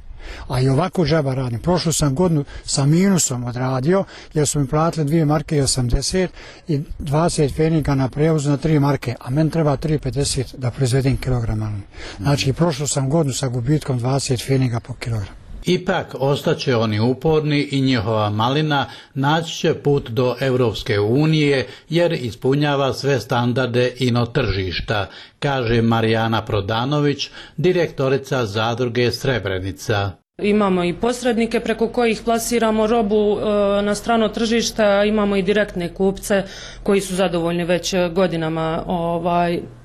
A i ovako džaba radim. Prošlu sam godinu sa minusom odradio, jer su mi platili 2 marke i 80 i 20 feninga na prevozu na 3 marke, a meni treba 3,50 da proizvedem kilogram maline. Znači, prošlu sam godinu sa gubitkom 20 feninga po kilogram. Ipak ostaće oni uporni i njihova malina naći će put do Europske unije jer ispunjava sve standarde ino tržišta, kaže Marijana Prodanović, direktorica zadruge Srebrenica. Imamo i posrednike preko kojih plasiramo robu na strano tržište, imamo i direktne kupce koji su zadovoljni već godinama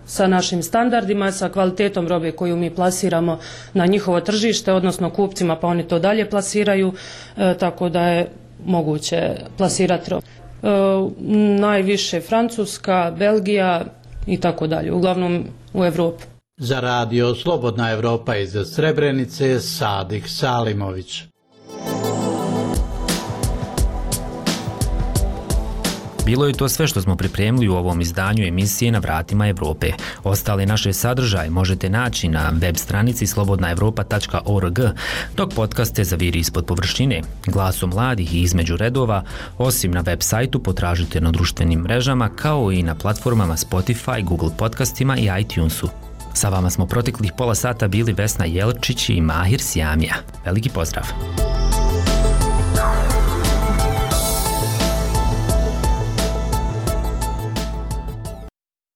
sa našim standardima, sa kvalitetom robe koju mi plasiramo na njihovo tržište, odnosno kupcima, pa oni to dalje plasiraju, tako da je moguće plasirati robu. Najviše Francuska, Belgija i tako dalje, uglavnom u Evropi. Za Radio Slobodna Evropa iz Srebrenice, Sadik Salimović. Bilo je to sve što smo pripremili u ovom izdanju emisije Na vratima Evrope. Ostale naše sadržaje možete naći na web stranici slobodnaevropa.org, dok podcaste zaviri ispod površine, glasom mladih i između redova, osim na web sajtu potražite na društvenim mrežama kao i na platformama Spotify, Google podcastima i iTunesu. Sa vama smo proteklih pola sata bili Vesna Jelčić i Mahir Sjamija. Veliki pozdrav!